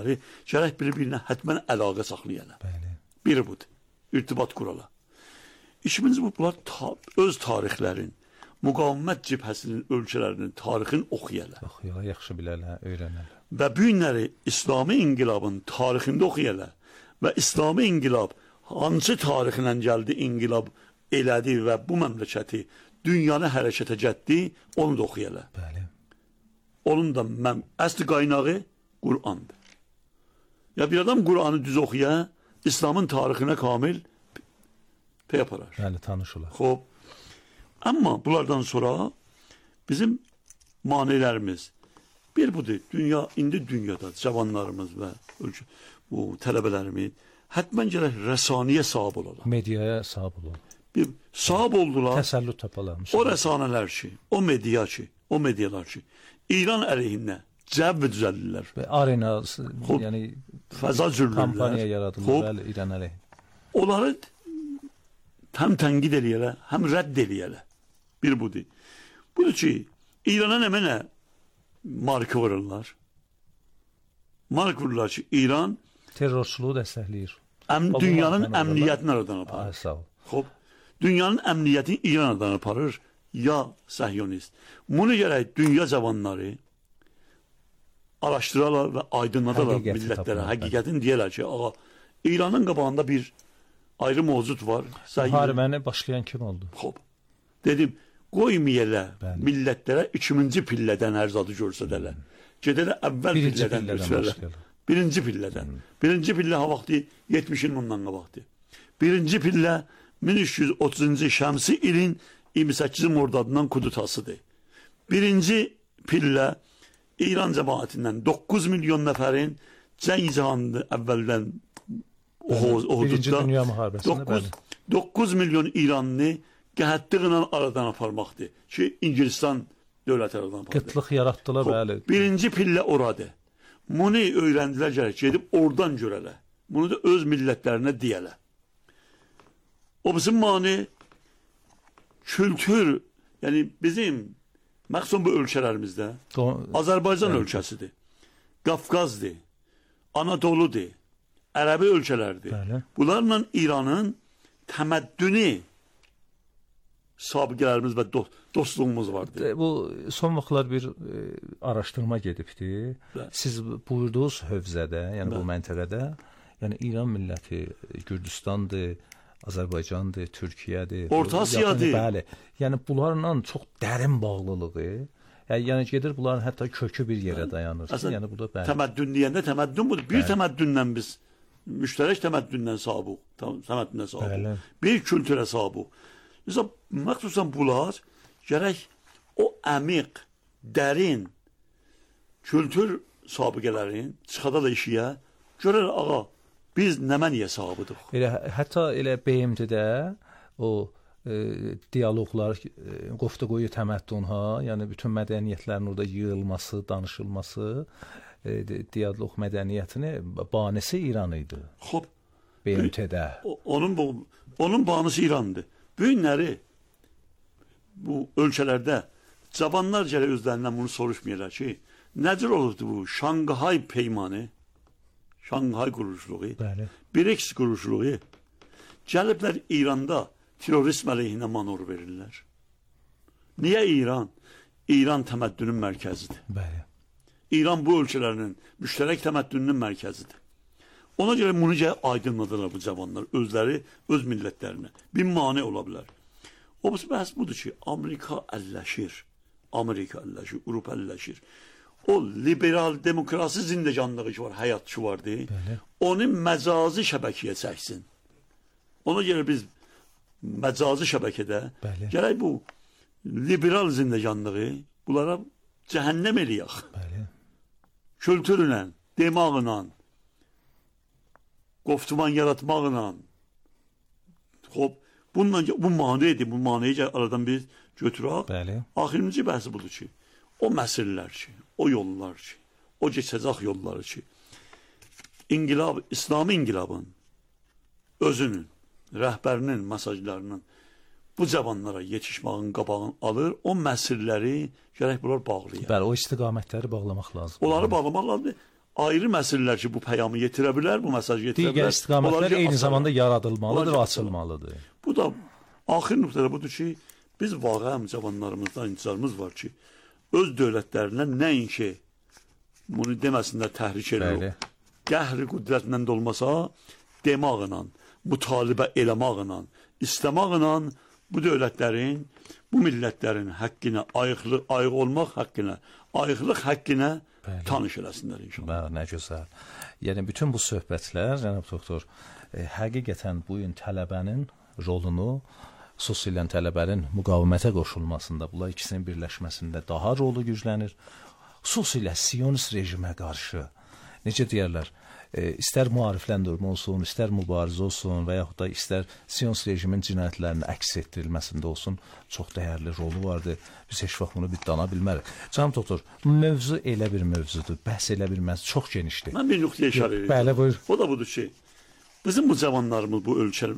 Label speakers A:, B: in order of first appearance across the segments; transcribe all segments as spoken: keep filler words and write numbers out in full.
A: gərək bir-birinə hətmən əlaqə saxlayana.
B: Bəli.
A: Biri budur, irtibat qurala. İkincisi bu, bunlar ta öz tarixlərin, müqavimət cibhəsinin, ölkələrinin tarixini oxuyala.
B: Oxuyala, yaxşı bilələ, öyrənələ.
A: Və bu günləri İslami inqilabın tarixində oxuyala və İslami inqilab hansı tarixlə gəldi, inqilab elədi və bu məmləkəti dünyanı hərəkətə gətdi, onu da oxuyala.
B: Bəli.
A: Onun da mən, əsli qaynağı Qur'andır. Ya bir adam Qur'anı düz oxuya, İslamın tarixinə kamil pey aparar.
B: Bəli, tanış olar.
A: Xoş. Amma bunlardan sonra bizim manelərimiz bir budur. Dünya, indi dünyada cavanlarımız və ölkə, bu tələbələrimiz hətmən gərək rəsaniyə sahib olarlar.
B: Mediaya sahib olarlar.
A: Bir sahib oldular.
B: Təsəllüt tapalar.
A: O rəsanələr ki, o media ki, o medialar ki, İran əleyhinə cəvv düzəldirlər.
B: Və arena,
A: Xob,
B: yəni
A: fəza cürlürlər.
B: Kampaniya yaradılır, bəli, İran əleyhinə.
A: Onları həm tənqid eləyələ, həm rədd eləyələ. Bir budur. Budur ki, İrana nə mənə marka vururlar. Marka vururlar ki, İran
B: terrorçuluğu dəstəkləyir.
A: Əm, dünyanın əmniyyətini aradan aparır.
B: Ay, sağ ol.
A: Xoş. Dünyanın əmniyyətini İran aradan aparır, ya səhyonist. Bunu gərək dünya cavanları araşdırarlar və aydınladarlar millətlərə. Həqiqətini deyərlər ki, ağa, İranın qabağında bir ayrı mövcud var.
B: Müharibəni başlayan kim oldu?
A: Xoş. Dedim, qoymayələ millətlərə ikinci pillədən hər zadı görsədələr. Gedələ əvvəl
B: birinci
A: pillədən görsədələr. Birinci pillədən. Hmm. Birinci pillə ha vaxtı yetmiş il bundan qabaqdı. Birinci pillə min üç yüz otuzuncu şəmsi ilin iyirmi səkkizi mordadından Kudutasıdır. Birinci pillə İran cəmaətindən doqquz milyon nəfərin cəng cihanında əvvəldən o hududda
B: Birinci Dünya müharibəsində
A: doqquz milyon İranlı qəhətliqlə aradan aparmaqdır ki, İngilistan dövləti aradan apardı.
B: Qıtlıq yaratdılar, bəli.
A: Birinci pillə oradır. Bunu öyrəndilər gərək, gedib oradan görələ. Bunu da öz millətlərinə deyələ. O bizim mani kültür, yəni bizim məxsus bu ölkələrimizdə Azərbaycan evet. ölkəsidir, Qafqazdır, Anadoludur, Ərəbi ölkələrdir. Bəli. Bunlarla İranın təməddünü sabiqələrimiz və dost, dostluğumuz vardır.
B: Bu son vaxtlar bir e, araşdırma gedibdi. Bəli. Siz buyurduğunuz hövzədə, yəni Bəli. bu məntəqədə, yəni İran milləti, Gürcüstandır, Azərbaycandır, Türkiyədir,
A: Orta Asiyadır.
B: Bəli. Yəni bunlarla çox dərin bağlılığı, yəni, yəni gedir bunların hətta kökü bir yerə dayanır.
A: Əslən,
B: yəni bu da bəli.
A: Təməddün deyəndə təməddün budur. Bir bəli. təməddündən biz müştərək təməddündən sahibiq, təməddündən sahibiq. Bir kültürə sahibiq. Mesela məxsusən bunlar gərək o əmiq, dərin kültür sabiqələrin çıxada da işiyə görər, ağa, biz nəməniyə sahibidik.
B: Elə, hətta elə B M T-də o e, diyaloqlar, e, qoftaqoyu təməddün, ha, yəni bütün mədəniyyətlərin orada yığılması, danışılması, e, diyaloq mədəniyyətini banisi İran idi.
A: Xoş.
B: B M T-də.
A: Onun, onun banisi İrandır. Bu günləri bu ölkələrdə cavanlar gələ özlərindən bunu soruşmayırlar ki, nədir olurdu bu Şanghay peymanı, Şanghay quruluşluğu, B R I C S quruluşluğu, gəliblər İranda terrorizm əleyhinə manor verirlər. Niyə İran? İran təməddünün mərkəzidir.
B: Bəli.
A: İran bu ölkələrinin müştərək təməddününün mərkəzidir. Ona görə bunu gələ aydınladırlar bu cavanlar, özləri, öz millətlərinə. Bir mane ola bilər. O bəhs budur ki, Amerika əlləşir, Amerika əlləşir, Avropa əlləşir. O liberal demokrasi zindecanlığı ki var, həyat ki vardı, bəli. Onu məcazi şəbəkiyə çəksin. Ona görə biz məcazi şəbəkədə bəli. Gərək bu liberal zindecanlığı bunlara cəhənnəm eləyək. Bəli. Kültürlə, demağla, qoftuman yaratmaqla, xoş, bununla, bu maneydir, bu maneyi aradan biz götürək. Bəli. Axırıncı bəhsi budur ki, o məsirlər ki, o yollar ki, o keçəcək yolları ki, İnqilab, İslami inqilabın özünün, rəhbərinin mesajlarının bu cavanlara yetişməyin qabağını alır, o məsirləri gərək bunlar bağlayır.
B: Bəli, o istiqamətləri bağlamaq lazım.
A: Onları bağlamaq lazımdır. ayrı məsələlər ki, bu peyamı yetirə bilər, bu mesajı yetirə bilər.
B: Digər istiqamətlər eyni
A: asarlar.
B: zamanda yaradılmalıdır,
A: Olacaq,
B: açılmalıdır.
A: Bu da axır nöqtədə budur ki, biz vaqəən cavanlarımızdan intizarımız var ki, öz dövlətlərinə nəinki bunu deməsinlər təhrik edir. Qəhri qüdrətlə də olmasa, demaqla, mütalibə eləmaqla, istəmaqla bu dövlətlərin, bu millətlərin haqqına, ayıqlı, ayıq olmaq haqqına, ayıqlıq haqqına tanış eləsinlər inşallah.
B: Nə gözəl. Yəni, bütün bu söhbətlər, cənab doktor, e, həqiqətən bu gün tələbənin rolunu, xüsusilə tələbənin müqavimətə qoşulmasında, bunlar ikisinin birləşməsində daha rolu güclənir. Xüsusilə Siyonist rejimə qarşı, necə deyərlər, e, istər müarifləndirmə olsun, istər mübarizə olsun və yaxud da istər Siyonist rejimin cinayətlərinin əks etdirilməsində olsun, çox dəyərli rolu vardır. Biz heç vaxt bunu bir dana bilmərik. Canım doktor, mövzu elə bir mövzudur, bəhs elə bir mövzu, çox genişdir.
A: Mən bir nöqtəyə işarə edirəm.
B: Bəli, buyur.
A: O da budur ki, bizim bu cavanlarımız bu ölkə,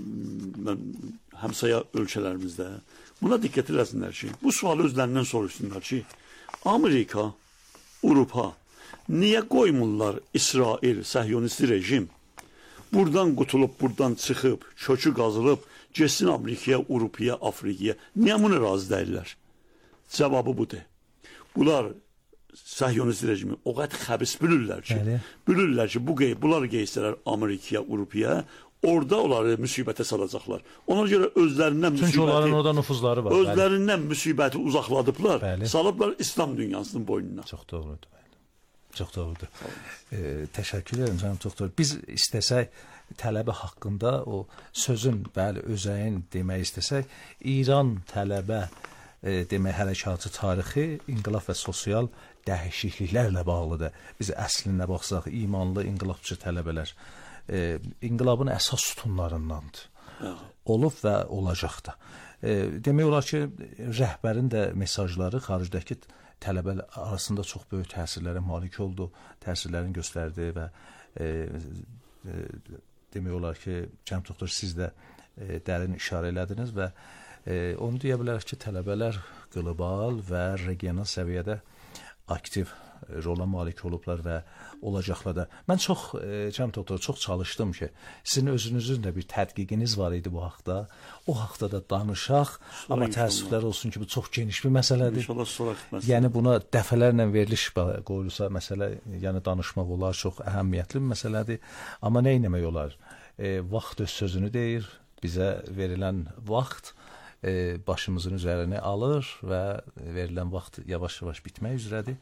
A: həmsaya ölkələrimizdə buna diqqət eləsinlər ki, bu sualı özlərindən soruşsunlar ki, Amerika, Avropa niyə qoymurlar İsrail, səhyonisti rejim buradan qutulub, buradan çıxıb, kökü qazılıb, getsin Amerikaya, Avropaya, Afrikaya? Niyə bunu razı deyirlər? Cavabı budur. Bunlar səhyonisti rejimi o qədər xəbis bilirlər ki, Bəli. bilirlər ki, bu bunlar geysələr Amerikaya, Avropaya, orada onları müsibətə salacaqlar. Ona görə özlərindən müsibəti...
B: Çünki onların orada nüfuzları var.
A: Özlərindən bəli. müsibəti uzaqladıblar,
B: bəli. salıblar
A: İslam dünyasının boynuna.
B: Çox doğrudur. Bəli. Çox doğrudur. E, təşəkkür edirəm, canım doktor. Biz istəsək, tələbə haqqında o sözün, bəli, özəyin demək istəsək, İran tələbə e, demək hərəkatı tarixi, inqilab və sosial dəyişikliklərlə bağlıdır. Biz əslinə baxsaq, imanlı inqilabçı tələbələr e, inqilabın əsas sütunlarındandır. Evet. Olub və olacaq da. E, demək olar ki, rəhbərin də mesajları xaricdəki tələbələr arasında çox böyük təsirlərə malik oldu, təsirlərini göstərdi və e, e, demək olar ki, cənab doktor, siz də e, dərin işarə elədiniz və e, onu deyə bilərik ki, tələbələr qlobal və regional səviyyədə aktiv rola malik olublar və olacaqlar da. Mən çox, e, cənab doktor, çox çalışdım ki, sizin özünüzün də bir tədqiqiniz var idi bu haqda. O haqda da danışaq, sonra amma təəssüflər olsun ki, bu çox geniş bir məsələdir.
A: İnşallah sonra məsələ.
B: Yəni buna dəfələrlə veriliş qoyulsa məsələ, yəni danışmaq olar, çox əhəmiyyətli bir məsələdir. Amma nə etmək olar? E, vaxt öz sözünü deyir, bizə verilən vaxt E, başımızın üzərini alır və verilən vaxt yavaş-yavaş bitmək üzrədir.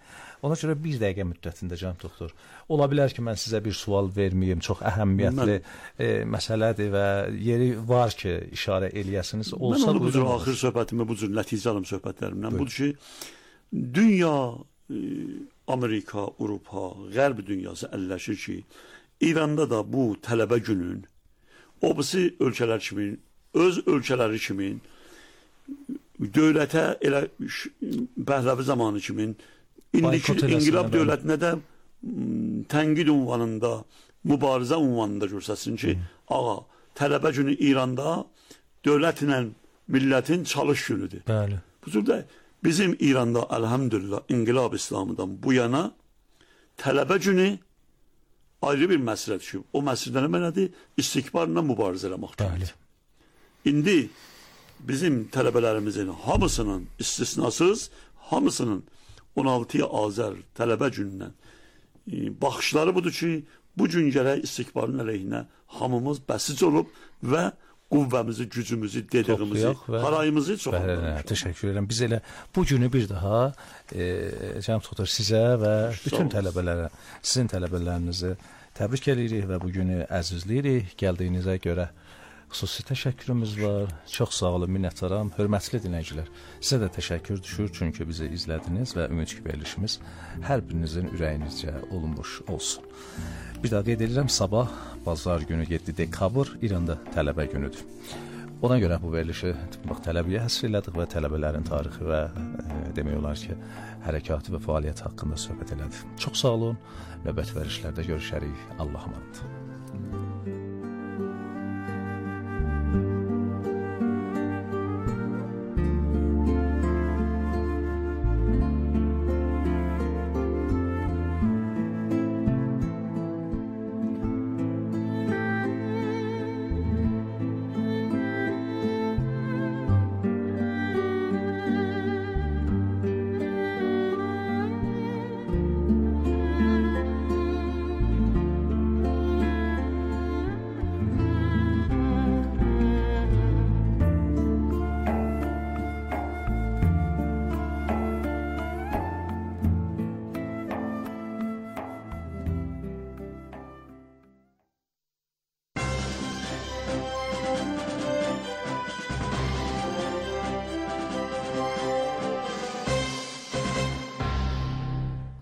B: Ona görə bir dəqiqə müddətində, cənab doktor, ola bilər ki, mən sizə bir sual verməyim, çox əhəmiyyətli e, məsələdir və yeri var ki, işarə eləyəsiniz. Olsa,
A: mən onu bu cür axır söhbətimi, bu cür nəticə alım söhbətlərimdən. Budur ki, dünya, e, Amerika, Avropa, Qərb dünyası əlləşir ki, İranda da bu tələbə günün, o birisi ölkələr kimi, öz ölkələri kimi, dövlətə elə Pəhləvi zamanı kimi indiki inqilab dövlətinə də tənqid ünvanında, mübarizə ünvanında görsəsin ki, hmm. ağa, tələbə günü İranda dövlətlə millətin çalış günüdür.
B: Bəli.
A: Bu cürdə bizim İranda əlhəmdülillah inqilab İslamıdan bu yana tələbə günü ayrı bir məsələdir ki, o məsələdə nədir? İstikbarla mübarizə eləməkdir. İndi bizim tələbələrimizin hamısının istisnasız, hamısının on altıya Azər tələbə günündən e, baxışları budur ki, bu gün gərək istikbarın əleyhinə hamımız bəsic olub və qüvvəmizi, gücümüzü, dediyimizi, parayımızı çox
B: alırıq. Təşəkkür edirəm. Biz elə bu günü bir daha e, cənab doktor, sizə və bütün tələbələrə, sizin tələbələrinizi təbrik edirik və bu günü əzizləyirik. Gəldiyinizə görə xüsusi təşəkkürümüz var. Çox sağ olun, minnətdaram. Hörmətli dinləyicilər, sizə də təşəkkür düşür, çünki bizi izlədiniz və ümid ki, verilişimiz hər birinizin ürəyinizcə olunmuş olsun. Bir daha qeyd edirəm, sabah, bazar günü yeddi dekabr İranda tələbə günüdür. Ona görə bu verilişi bax, tələbəyə həsr elədik və tələbələrin tarixi və e, demək olar ki, hərəkatı və fəaliyyəti haqqında söhbət elədik. Çox sağ olun, növbət verilişlərdə görüşərik. Allah'a emanet.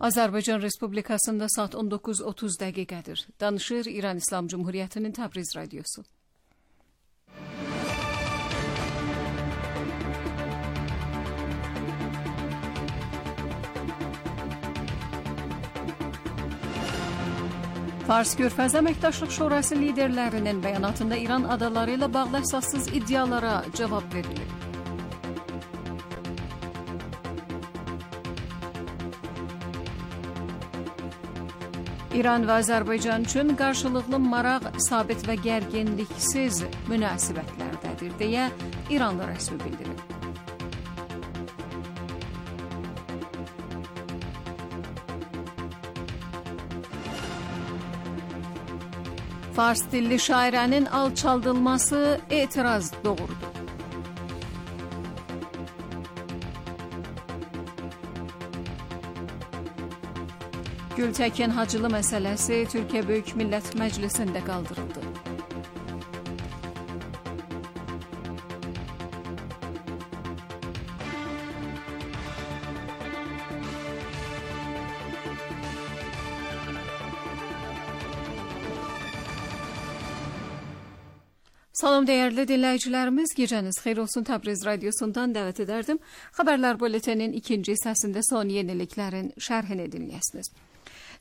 C: Azərbaycan Respublikasında saat on dokuz otuz dəqiqədir. Danışır İran İslam Cumhuriyyətinin Təbriz radiosu. Fars Körfəz Əməkdaşlıq Şurası liderlərinin bəyanatında İran adaları ilə bağlı əsassız iddialara cavab verilir. İran və Azərbaycan üçün qarşılıqlı maraq, sabit və gərginliksiz münasibətlərdədir, deyə İranlı rəsmi bildirir. Fars dilli şairənin alçaldılması etiraz doğurdu. Gültəkin Hacılı məsələsi Türkiyə Böyük Millət Məclisində qaldırıldı. Salam dəyərli dinləyicilərimiz, gecəniz xeyir olsun. Təbriz radiosundan dəvət edərdim. Xəbərlər bulletenin ikinci hissəsində son yeniliklərin şərhini dinləyəsiniz.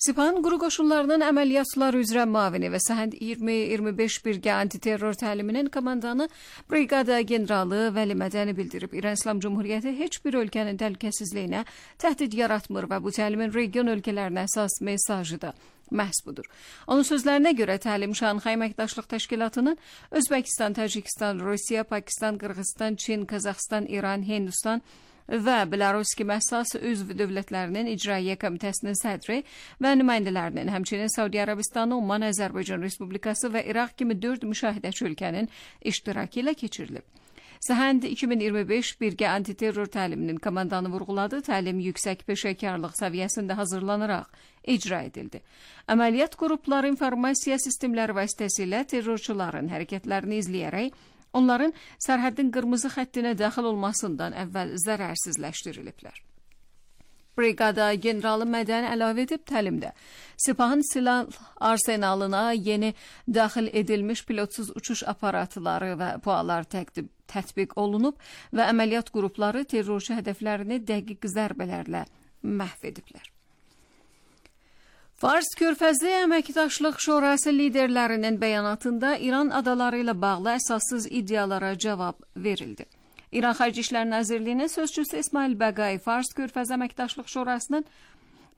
C: Sipan Quru Qoşunlarının əməliyyatlar üzrə müavini və Səhənd iyirmi iyirmi beş birgə antiterror təliminin komandanı Briqada generalı Vəli Mədəni bildirib. İran İslam Cumhuriyyəti heç bir ölkənin təhlükəsizliyinə təhdid yaratmır və bu təlimin region ölkələrinə əsas mesajı da məhz budur. Onun sözlərinə görə təlim Şanxay Əməkdaşlıq Təşkilatının Özbəkistan, Təcikistan, Rusiya, Pakistan, Qırğızstan, Çin, Qazaxıstan, İran, Hindistan və Belarus kimi əsas üzv dövlətlərinin icraiyyə komitəsinin sədri və nümayəndələrinin, həmçinin Səudiyyə Ərəbistanı, Oman, Azərbaycan Respublikası və İraq kimi dörd müşahidəçi ölkənin iştirakı ilə keçirilib. Səhənd iki min iyirmi beş birgə antiterror təliminin komandanı vurğuladı. Təlim yüksək peşəkarlıq səviyyəsində hazırlanaraq icra edildi. Əməliyyat qrupları informasiya sistemləri vasitəsilə terrorçuların hərəkətlərini izləyərək onların sərhəddin qırmızı xəttinə daxil olmasından əvvəl zərərsizləşdiriliblər. Briqada generalı Mədəni əlavə edib təlimdə Sepahın silah arsenalına yeni daxil edilmiş pilotsuz uçuş aparatları və pualar tətbiq olunub və əməliyyat qrupları terrorçu hədəflərini dəqiq zərbələrlə məhv ediblər. Fars Körfəzi Əməkdaşlıq Şurası liderlərinin bəyanatında İran adaları ilə bağlı əsassız iddialara cavab verildi. İran Xarici İşlər Nazirliyinin sözçüsü İsmail Bəqai Fars Körfəzi Əməkdaşlıq Şurasının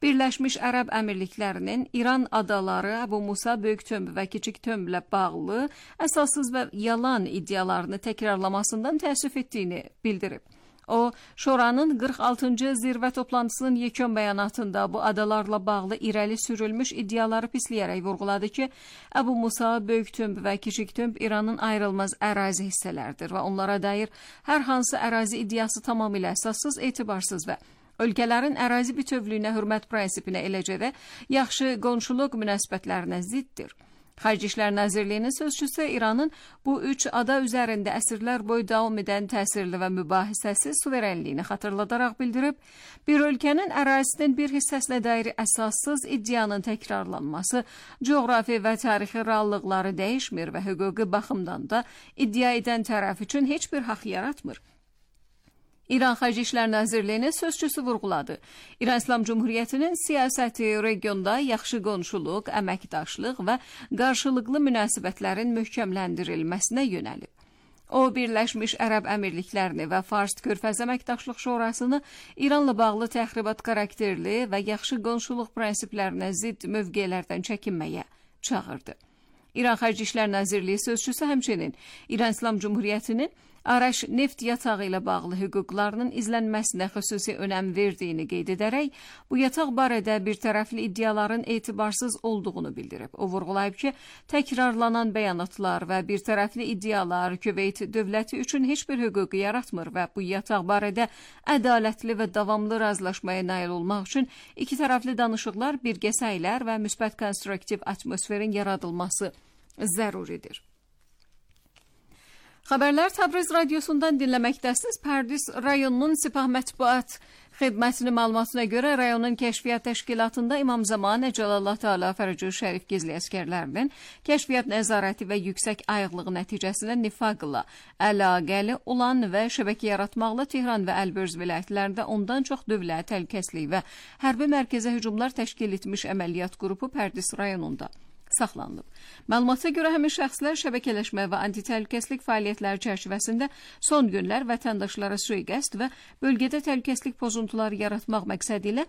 C: Birləşmiş Ərəb Əmirliklərinin İran adaları, Əbu Musa, Böyük Tömbü və Kiçik Tömbülə bağlı əsassız və yalan iddialarını təkrarlamasından təəssüf etdiyini bildirib. O, Şuranın qırx altıncı zirvə toplantısının yekun bəyanatında bu adalarla bağlı irəli sürülmüş iddiaları pisləyərək vurğuladı ki, Əbu Musa, Böyük Tömbü və Kiçik Tömb İranın ayrılmaz ərazi hissələrdir və onlara dair hər hansı ərazi iddiası tamamilə əsassız, etibarsız və ölkələrin ərazi bütövlüyünə hörmət prinsipinə, eləcə də yaxşı qonşuluq münasibətlərinə ziddir. Xarici İşlər Nazirliyinin sözçüsü İranın bu üç ada üzərində əsrlər boyu davam edən təsirli və mübahisəsi suverenliyini xatırladaraq bildirib, bir ölkənin ərazisinin bir hissəsinə dair əsassız iddianın təkrarlanması coğrafi və tarixi reallıqları dəyişmir və hüquqi baxımdan da iddia edən tərəf üçün heç bir haqq yaratmır. İran Xarici İşlər Nazirliyinin sözçüsü vurğuladı. İran İslam Cumhuriyyətinin siyasəti regionda yaxşı qonşuluq, əməkdaşlıq və qarşılıqlı münasibətlərin möhkəmləndirilməsinə yönəlib. O, Birləşmiş Ərəb Əmirliklərini və Fars Körfəz Əməkdaşlıq Şurasını İranla bağlı təxribat xarakterli və yaxşı qonşuluq prinsiplərinə zidd mövqelərdən çəkinməyə çağırdı. İran Xarici İşlər Nazirliyi sözçüsü həmçinin İran İslam Cumhuriyyətinin Araş neft yatağı ilə bağlı hüquqlarının izlənməsinə xüsusi önəm verdiyini qeyd edərək, bu yataq barədə bir tərəfli iddiaların etibarsız olduğunu bildirib. O vurğulayıb ki, təkrarlanan bəyanatlar və bir tərəfli iddialar Küveyt dövləti üçün heç bir hüququ yaratmır və bu yataq barədə ədalətli və davamlı razılaşmaya nail olmaq üçün iki tərəfli danışıqlar, birgə səylər və müsbət konstruktiv atmosferin yaradılması zəruridir. Xəbərlər Təbriz radiosundan dinləməkdəsiniz. Pərdis rayonunun Sipah mətbuat Xidmətinin məlumatına görə rayonun kəşfiyyat təşkilatında İmam Zamanə Cəlallah Teala Fərəcü Şərif gizli əskərlərinin kəşfiyyat nəzarəti və yüksək ayıqlığı nəticəsində nifaqla əlaqəli olan və şəbəkə yaratmaqla Tehran və Əlbörz vilayətlərində ondan çox dövlət, təhlükəsizlik və hərbi mərkəzə hücumlar təşkil etmiş əməliyyat qrupu Pərdis rayonunda saxlanılıb. Məlumata görə həmin şəxslər şəbəkələşmə və antitəhlükəsizlik fəaliyyətləri çərçivəsində son günlər vətəndaşlara sui-qəsd və bölgədə təhlükəsizlik pozuntuları yaratmaq məqsədi ilə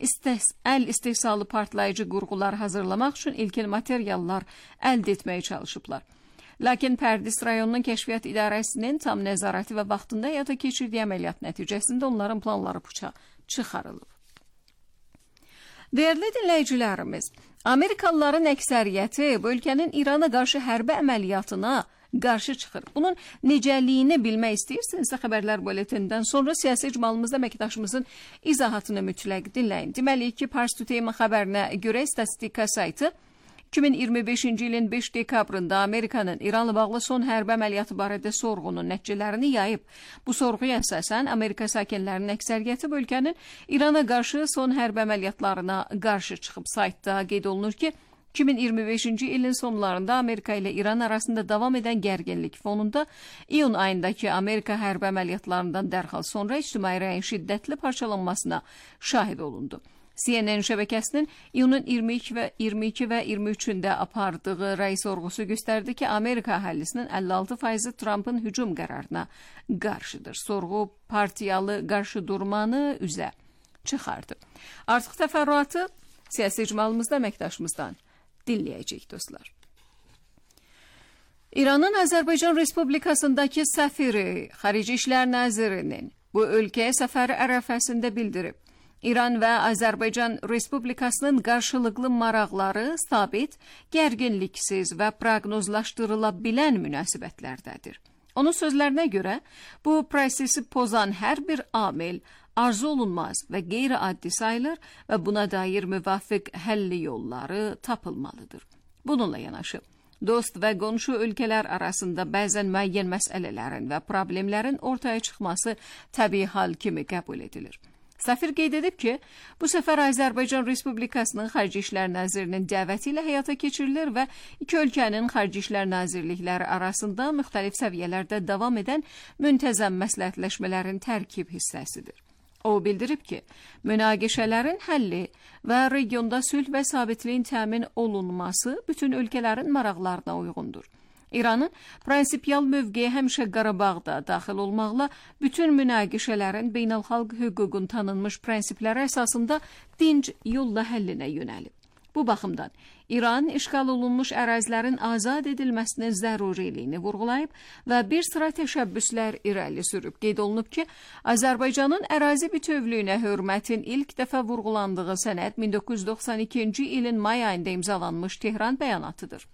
C: istəs əl istehsalı partlayıcı qurğular hazırlamaq üçün ilkin materiallar əldə etməyə çalışıblar. Lakin Pərdis rayonunun kəşfiyyat idarəsinin tam nəzarəti və vaxtında həyata keçirdiyi əməliyyat nəticəsində onların planları puça çıxarılıb. Dəyərli dinləyicilərimiz, Amerikalıların əksəriyyəti bu ölkənin İrana qarşı hərbi əməliyyatına qarşı çıxır. Bunun necəliyini bilmək istəyirsinizsə xəbərlər buletindən sonra siyasi icmalımızda əməkdaşımızın izahatını mütləq dinləyin. Deməli ki, Pars Today xəbərinə görə statistika saytı iki min iyirmi beşinci ilin beş dekabrında Amerikanın İranla bağlı son hərbi əməliyyatı barədə sorğunun nəticələrini yayıb. Bu sorğuya əsasən Amerika sakinlərinin əksəriyyəti bu ölkənin İrana qarşı son hərbi əməliyyatlarına qarşı çıxıb. Saytda qeyd olunur ki, iki min iyirmi beşinci ilin sonlarında Amerika ilə İran arasında davam edən gərginlik fonunda iyun ayındakı Amerika hərbi əməliyyatlarından dərhal sonra ictimai rəyin şiddətli parçalanmasına şahid olundu. C N N şəbəkəsinin iyunun iyirmi iki və iyirmi iki və iyirmi üçündə apardığı rəy sorğusu göstərdi ki, Amerika əhalisinin əlli altı faizi Trumpın hücum qərarına qarşıdır. Sorğu partiyalı qarşı durmanı üzə çıxardı. Artıq təfərrüatı siyasi icmalımızda əməkdaşımızdan dinləyəcək dostlar. İranın Azərbaycan Respublikasındakı səfiri Xarici İşlər Nazirinin bu ölkəyə səfəri ərəfəsində bildirib. İran və Azərbaycan Respublikasının qarşılıqlı maraqları sabit, gərginliksiz və proqnozlaşdırıla bilən münasibətlərdədir. Onun sözlərinə görə, bu prosesi pozan hər bir amil arzu olunmaz və qeyri-addi sayılır və buna dair müvafiq həlli yolları tapılmalıdır. Bununla yanaşı, dost və qonşu ölkələr arasında bəzən müəyyən məsələlərin və problemlərin ortaya çıxması təbii hal kimi qəbul edilir. Səfir qeyd edib ki, bu səfər Azərbaycan Respublikasının Xarici İşlər Nazirinin dəvəti ilə həyata keçirilir və iki ölkənin Xarici İşlər Nazirlikləri arasında müxtəlif səviyyələrdə davam edən müntəzəm məsləhətləşmələrin tərkib hissəsidir. O bildirib ki, münaqişələrin həlli və regionda sülh və sabitliyin təmin olunması bütün ölkələrin maraqlarına uyğundur. İranın prinsipial mövqeyi həmişə Qarabağda daxil olmaqla bütün münaqişələrin beynəlxalq hüququn tanınmış prinsipləri əsasında dinc yolla həllinə yönəlib. Bu baxımdan İran işğal olunmuş ərazilərin azad edilməsinin zəruriliyini vurğulayıb və bir sıra təşəbbüslər irəli sürüb. Qeyd olunub ki, Azərbaycanın ərazi bütövlüyünə hörmətin ilk dəfə vurğulandığı sənəd min doqquz yüz doxsan ikinci ilin may ayında imzalanmış Tehran bəyannatıdır.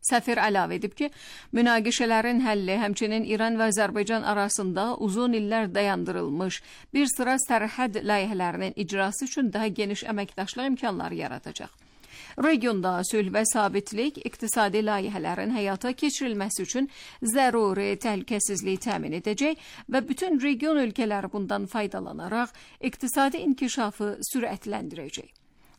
C: Səfir əlavə edib ki, münaqişələrin həlli həmçinin İran və Azərbaycan arasında uzun illər dayandırılmış bir sıra sərhəd layihələrinin icrası üçün daha geniş əməkdaşlıq imkanları yaradacaq. Regionda sülh və sabitlik, iqtisadi layihələrin həyata keçirilməsi üçün zəruri təhlükəsizliyi təmin edəcək və bütün region ölkələri bundan faydalanaraq iqtisadi inkişafı sürətləndirəcək.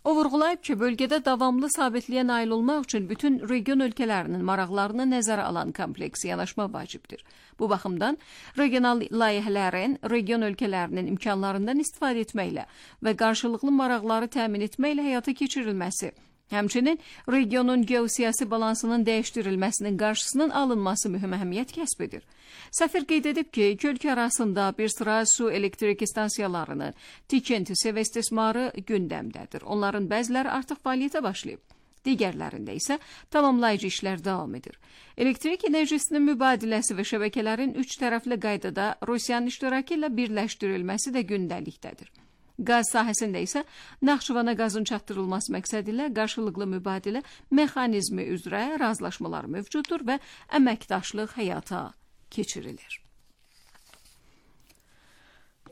C: O vurğulayıb ki, bölgədə davamlı sabitliyə nail olmaq üçün bütün region ölkələrinin maraqlarını nəzərə alan kompleks yanaşma vacibdir. Bu baxımdan regional layihələrin region ölkələrinin imkanlarından istifadə etməklə və qarşılıqlı maraqları təmin etməklə həyata keçirilməsi, həmçinin regionun geosiyasi balansının dəyişdirilməsinin qarşısının alınması mühüm əhəmiyyət kəsb edir. Səfir qeyd edib ki, iki ölkə arasında bir sıra su elektrik stansiyalarının tikintisi və istismarı gündəmdədir. Onların bəziləri artıq fəaliyyətə başlayıb. Digərlərində isə tamamlayıcı işlər davam edir. Elektrik enerjisinin mübadiləsi və şəbəkələrin üç tərəfli qaydada Rusiyanın iştirakı ilə birləşdirilməsi də gündəlikdədir. Qaz sahəsində isə Naxçıvana qazın çatdırılması məqsədi ilə qarşılıqlı mübadilə mexanizmi üzrə razılaşmalar mövcuddur və əməkdaşlıq həyata keçirilir.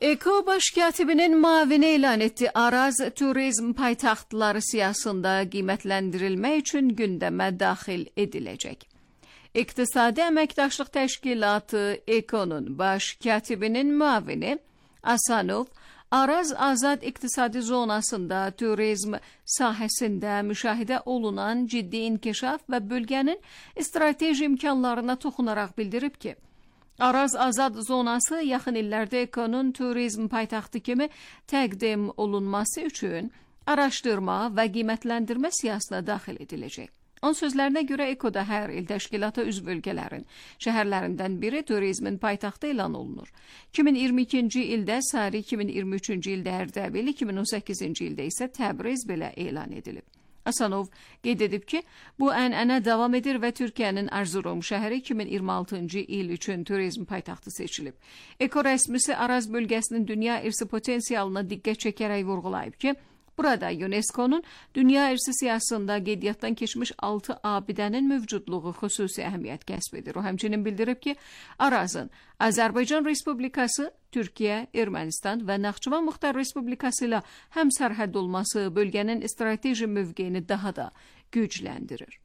C: Eko Baş Katibinin müavini elan etdiyi Araz turizm paytaxtları siyasında qiymətləndirilmək üçün gündəmə daxil ediləcək. İqtisadi Əməkdaşlıq Təşkilatı Ekonun Baş Katibinin müavini Asanov Araz Azad İqtisadi Zonasında turizm sahəsində müşahidə olunan ciddi inkişaf və bölgənin strateji imkanlarına toxunaraq bildirib ki, Araz Azad Zonası yaxın illərdə Ekonun turizm paytaxtı kimi təqdim olunması üçün araşdırma və qiymətləndirmə siyasətine daxil ediləcək. Onun sözlərinə görə Ekoda hər il təşkilata üzv ölkələrin şəhərlərindən biri turizmin paytaxtı elan olunur. iki min iyirmi ikinci ildə Sari, iki min iyirmi üçüncü ildə Ərdəbil, iki min on səkkizinci ildə isə Təbriz belə elan edilib. Asanov qeyd edib ki, bu ənənə davam edir və Türkiyənin Erzurum şəhəri iki min iyirmi altıncı il üçün turizm paytaxtı seçilib. Eko rəsmisi Araz bölgəsinin dünya irsi potensialına diqqət çəkərək vurğulayıb ki, burada UNESCO'nun dünya irsi siyasətində qeydiyyatdan keçmiş altı abidənin mövcudluğu xüsusi əhəmiyyət kəsb edir. O həmçinin bildirib ki, Arazın Azərbaycan Respublikası, Türkiyə, Ermənistan və Naxçıvan Muxtar Respublikası ilə həmsərhəd olması bölgənin strateji mövqeyini daha da gücləndirir.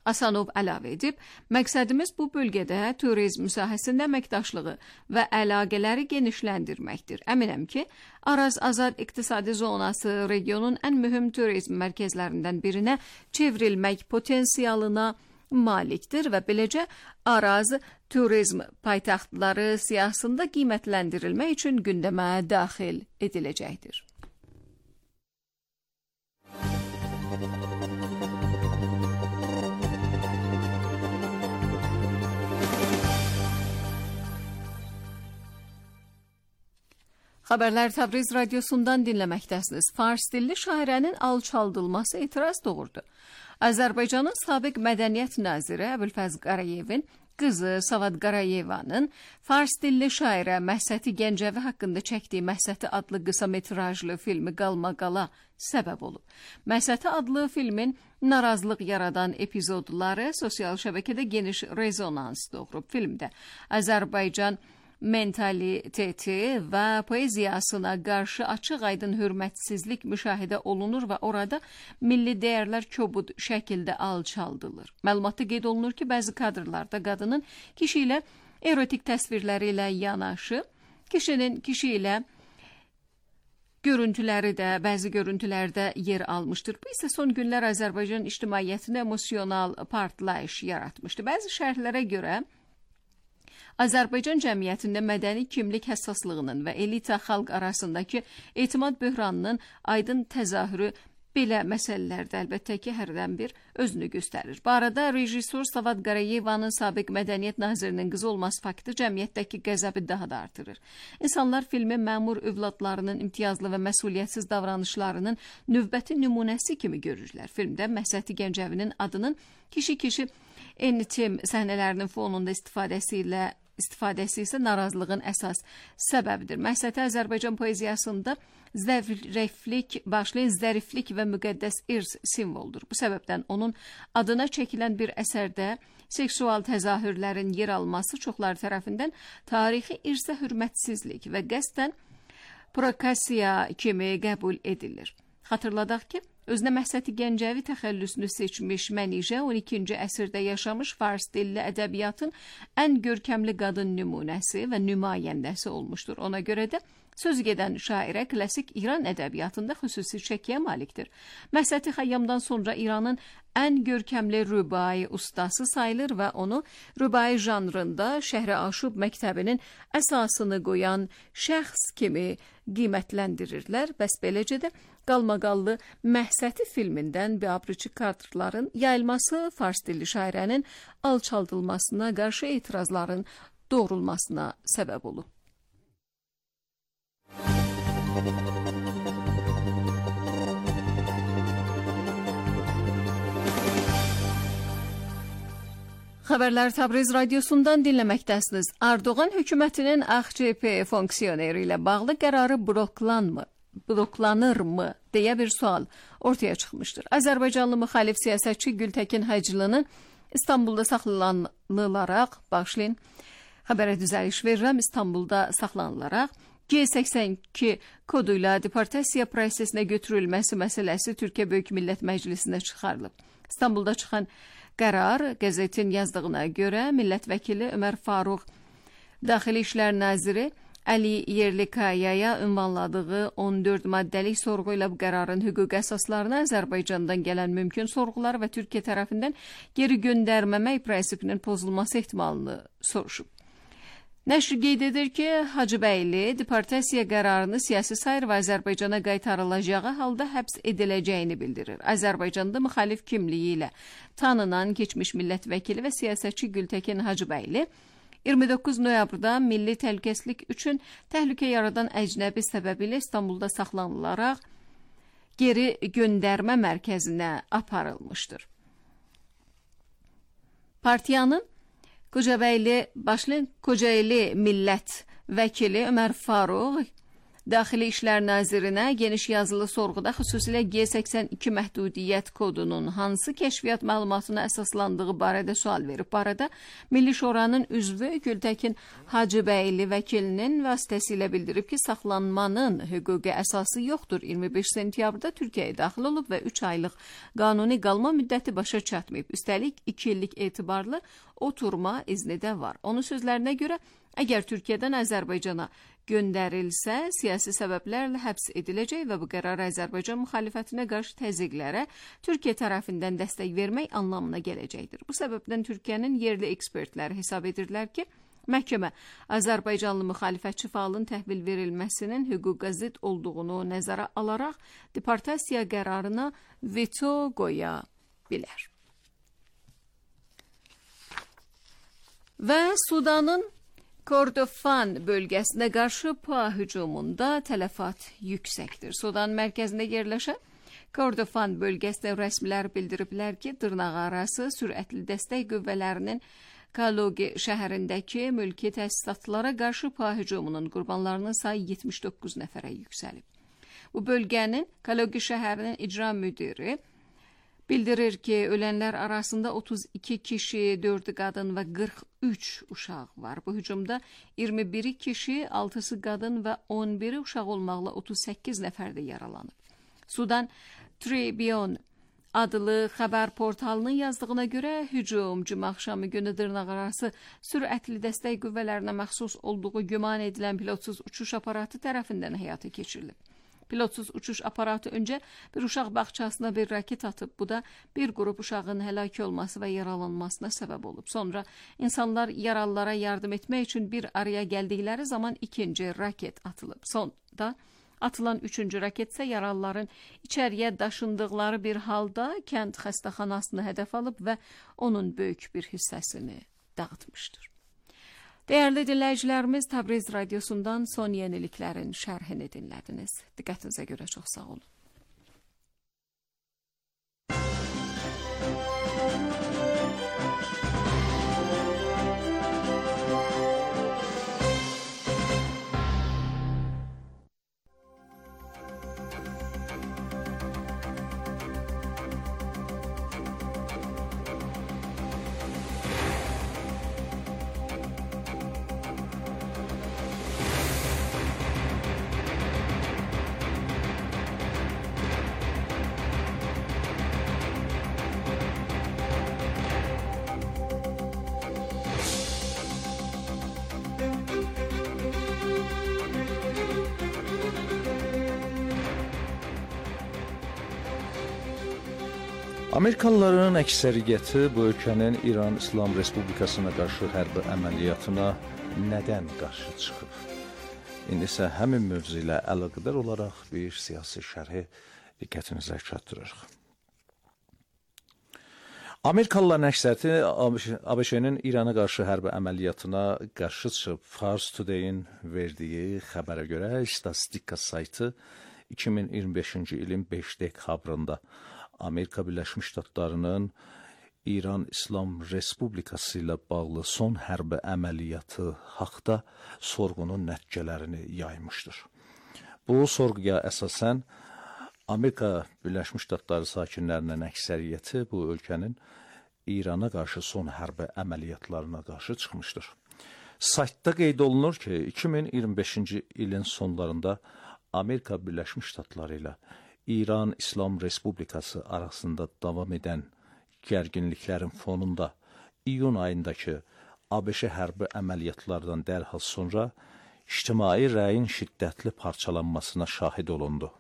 C: Asanov əlavə edib, məqsədimiz bu bölgədə turizm sahəsində əməkdaşlığı və əlaqələri genişləndirməkdir. Əminəm ki, Araz Azad İqtisadi Zonası regionun ən mühüm turizm mərkəzlərindən birinə çevrilmək potensialına malikdir və beləcə Araz turizm paytaxtları siyasətində qiymətləndirilmək üçün gündəmə daxil ediləcəkdir. Xəbərlər Təbriz radiosundan dinləməkdəsiniz. Fars dilli şairənin alçaldılması etiraz doğurdu. Azərbaycanın sabiq mədəniyyət naziri Əbülfəz Qarayevin qızı Savad Qarayevanın Fars dilli şairə Məhsəti Gəncəvi haqqında çəkdiyi Məhsəti adlı qısa metrajlı filmi qalmaqala səbəb olub. Məhsəti adlı filmin narazılıq yaradan epizodları sosial şəbəkədə geniş rezonans doğurub. Filmdə Azərbaycan mentaliteti və poeziyasına qarşı açıq-aydın hörmətsizlik müşahidə olunur və orada milli dəyərlər kobud şəkildə alçaldılır. Məlumatda qeyd olunur ki, bəzi kadrlarda qadının kişi ilə erotik təsvirləri ilə yanaşı, kişinin kişi ilə görüntüləri də bəzi görüntülərdə yer almışdır. Bu isə son günlər Azərbaycan ictimaiyyətində emosional partlayış yaratmışdı. Bəzi şərhlərə görə Azərbaycan cəmiyyətində mədəni kimlik həssaslığının və elita xalq arasındakı etimad böhranının aydın təzahürü belə məsələlərdə əlbəttə ki, hərdən bir özünü göstərir. Bu arada rejissor Savad Qarayevanın sabiq mədəniyyət nazirinin qızı olması faktı cəmiyyətdəki qəzəbi daha da artırır. İnsanlar filmi məmur övladlarının imtiyazlı və məsuliyyətsiz davranışlarının növbəti nümunəsi kimi görürlər. Filmdə Məhsəti Gəncəvinin adının kişi-kişi intim səhnələrinin fonunda istifadəsi ilə istifadəsi isə narazılığın əsas səbəbidir. Məhsəti Azərbaycan poeziyasında zəriflik, başlayan zəriflik və müqəddəs irs simvoldur. Bu səbəbdən onun adına çəkilən bir əsərdə seksual təzahürlərin yer alması çoxlar tərəfindən tarixi irsə hörmətsizlik və qəsdən provokasiya kimi qəbul edilir. Xatırladaq ki, özünə Məhsəti Gəncəvi təxəllüsünü seçmiş Mənişə on ikinci əsrdə yaşamış fars dilli ədəbiyyatın ən görkəmli qadın nümunəsi və nümayəndəsi olmuşdur. Ona görə də söz gedən şairə klassik İran ədəbiyyatında xüsusi çəkiyə malikdir. Məhsəti Xəyyamdan sonra İranın ən görkəmli rübai ustası sayılır və onu rübai janrında Şəhri Aşub məktəbinin əsasını qoyan şəxs kimi qiymətləndirirlər. Bəs beləcə də qalmaqallı Məhsəti filmindən biabırçı kadrların yayılması fars dilli şairənin alçaldılmasına qarşı etirazların doğrulmasına səbəb olub. Xəbərlər Təbriz radiosundan dinləməkdəsiniz. Erdoğan hökumətinin A X C P fonksiyoneri ilə bağlı qərarı bloklanmı? bloklanırmı deyə bir sual ortaya çıxmışdır. Azərbaycanlı müxalif siyasətçi Gültəkin Hacılı'nın İstanbulda saxlanılaraq, başlayın, xəbərə düzəliş verirəm, İstanbulda saxlanılaraq G səksən iki koduyla deportasiya prosesinə götürülməsi məsələsi Türkiyə Böyük Millət Məclisində çıxarılıb. İstanbulda çıxan qərar qəzetin yazdığına görə millət vəkili Ömər Faruq, Daxili İşlər Naziri Əli Yerlikayaya ünvanladığı on dörd maddəlik sorğu ilə bu qərarın hüquq əsaslarına Azərbaycandan gələn mümkün sorğular və Türkiyə tərəfindən geri göndərməmək prinsipinin pozulması ehtimalını soruşub. Nəşr qeyd edir ki, Hacıbəyli deportasiya qərarını siyasi sayır və Azərbaycana qaytarılacağı halda həbs ediləcəyini bildirir. Azərbaycanda müxalif kimliyi ilə tanınan keçmiş millət vəkili və siyasətçi Gültəkin Hacıbəyli iyirmi doqquz noyabrda milli təhlükəsizlik üçün təhlükə yaradan əcnəbi səbəbilə İstanbulda saxlanılaraq geri göndərmə mərkəzinə aparılmışdır. Partiyanın Kocabəyli Başlı Kocaeli millət vəkili Ömər Farux Daxili İşlər Nazirinə geniş yazılı sorğuda xüsusilə G səksən iki məhdudiyyət kodunun hansı kəşfiyyat məlumatına əsaslandığı barədə sual verib. Bu arada Milli Şuranın üzvü Gültəkin Hacıbəyli vəkilinin vasitəsilə bildirib ki, saxlanmanın hüquqi əsası yoxdur. iyirmi beş sentyabrda Türkiyəyə daxil olub və üç aylıq qanuni qalma müddəti başa çatmayıb. Üstəlik iki illik etibarlı oturma izni də var. Onun sözlərinə görə, əgər Türkiyədən Azərbaycana göndərilsə, siyasi səbəblərlə həbs ediləcək və bu qərar Azərbaycan müxalifətinə qarşı təzyiqlərə Türkiyə tərəfindən dəstək vermək anlamına gələcəkdir. Bu səbəbdən Türkiyənin yerli ekspertləri hesab edirlər ki, məhkəmə Azərbaycanlı müxalifətçi fəalın təhvil verilməsinin hüquqa zidd olduğunu nəzərə alaraq deportasiya qərarına veto qoya bilər. Və Sudanın Kordofan bölgəsinə qarşı PUA hücumunda tələfat yüksəkdir. Sudan mərkəzində yerləşən Kordofan bölgəsində rəsmilər bildiriblər ki, dırnaqarası sürətli dəstək qüvvələrinin Kalogi şəhərindəki mülki təsisatlara qarşı PUA hücumunun qurbanlarının sayı yetmiş doqquz nəfərə yüksəlib. Bu bölgənin Kalogi şəhərinin icra müdiri bildirir ki, ölənlər arasında otuz iki kişi, dördü qadın və qırx üç uşaq var. Bu hücumda iyirmi biri kişi, altısı qadın və on biri uşaq olmaqla otuz səkkiz nəfər də yaralanıb. Sudan Tribune adlı xəbər portalının yazdığına görə hücum cümə axşamı günü dırnaqarası sürətli dəstək qüvvələrinə məxsus olduğu güman edilən pilotsuz uçuş aparatı tərəfindən həyata keçirilib. Pilotsuz uçuş aparatı öncə bir uşaq bağçasına bir raket atıb. Bu da bir qrup uşağın həlak olması və yaralanmasına səbəb olub. Sonra insanlar yaralılara yardım etmək üçün bir araya gəldikləri zaman ikinci raket atılıb. Sonda atılan üçüncü raket isə yaralıların içəriyə daşındıqları bir halda kənd xəstəxanasını hədəf alıb və onun böyük bir hissəsini dağıtmışdır. Dəyərli dinləyicilərimiz, Təbriz radiosundan son yeniliklərin şərhini dinlədiniz. Diqqətinizə görə çox sağ olun.
B: Amerikalıların əksəriyyəti bu ölkənin İran İslam Respublikasına qarşı hərbi əməliyyatına nədən qarşı çıxıb? İndi isə həmin mövzu ilə əlaqədar olaraq bir siyasi şərhi diqqətinizə çatdırırıq. Amerikalıların əksəriyyəti ABŞ-nin İrana qarşı hərbi əməliyyatına qarşı çıxıb. Fars Today-in verdiyi xəbərə görə statistika saytı iki min iyirmi beşinci ilin beş dekabrında Amerika Birləşmiş Ştatlarının İran İslam Respublikası ilə bağlı son hərbi əməliyyatı haqda sorğunun nəticələrini yaymışdır. Bu sorğuya əsasən Amerika Birləşmiş Ştatları sakinlərinin əksəriyyəti bu ölkənin İrana qarşı son hərbi əməliyyatlarına qarşı çıxmışdır. Saytda qeyd olunur ki, iki min iyirmi beşinci ilin sonlarında Amerika Birləşmiş Ştatları ilə İran İslam Respublikası arasında davam edən gərginliklərin fonunda iyun ayındakı ABŞ hərbi əməliyyatlardan dərhal sonra ictimai rəyin şiddətli parçalanmasına şahid olundu.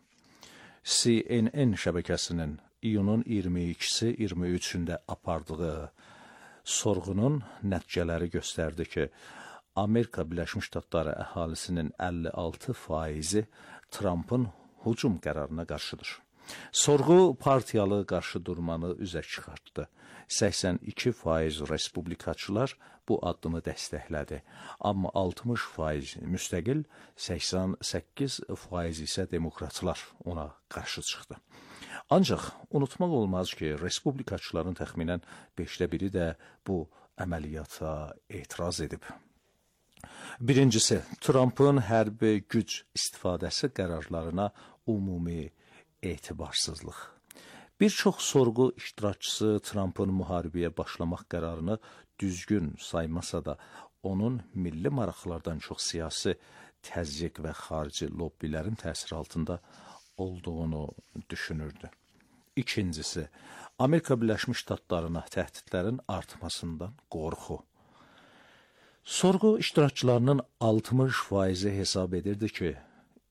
B: C N N şəbəkəsinin iyunun iyirmi ikisi iyirmi üçündə apardığı sorğunun nəticələri göstərdi ki, Amerika Birləşmiş Ştatları əhalisinin əlli altı faizi Trumpın hücum qərarına qarşıdır. Sorğu partiyalı qarşıdurmanı üzə çıxartdı. səksən iki faiz respublikaçılar bu addımı dəstəklədi. Amma altmış faiz müstəqil, səksən səkkiz faiz isə demokratlar ona qarşı çıxdı. Ancaq unutmaq olmaz ki, respublikaçıların təxminən beşdə biri də bu əməliyyata etiraz edib. Birincisi, Trumpın hərbi güc istifadəsi qərarlarına ümumi etibarsızlıq. Bir çox sorğu iştirakçısı Trumpın müharibəyə başlamaq qərarını düzgün saymasa da, onun milli maraqlardan çox siyasi təzyiq və xarici lobbilərin təsiri altında olduğunu düşünürdü. İkincisi, Amerika Birləşmiş Ştatlarına təhdidlərin artmasından qorxu. Sorğu iştirakçılarının altmış faizi hesab edirdi ki,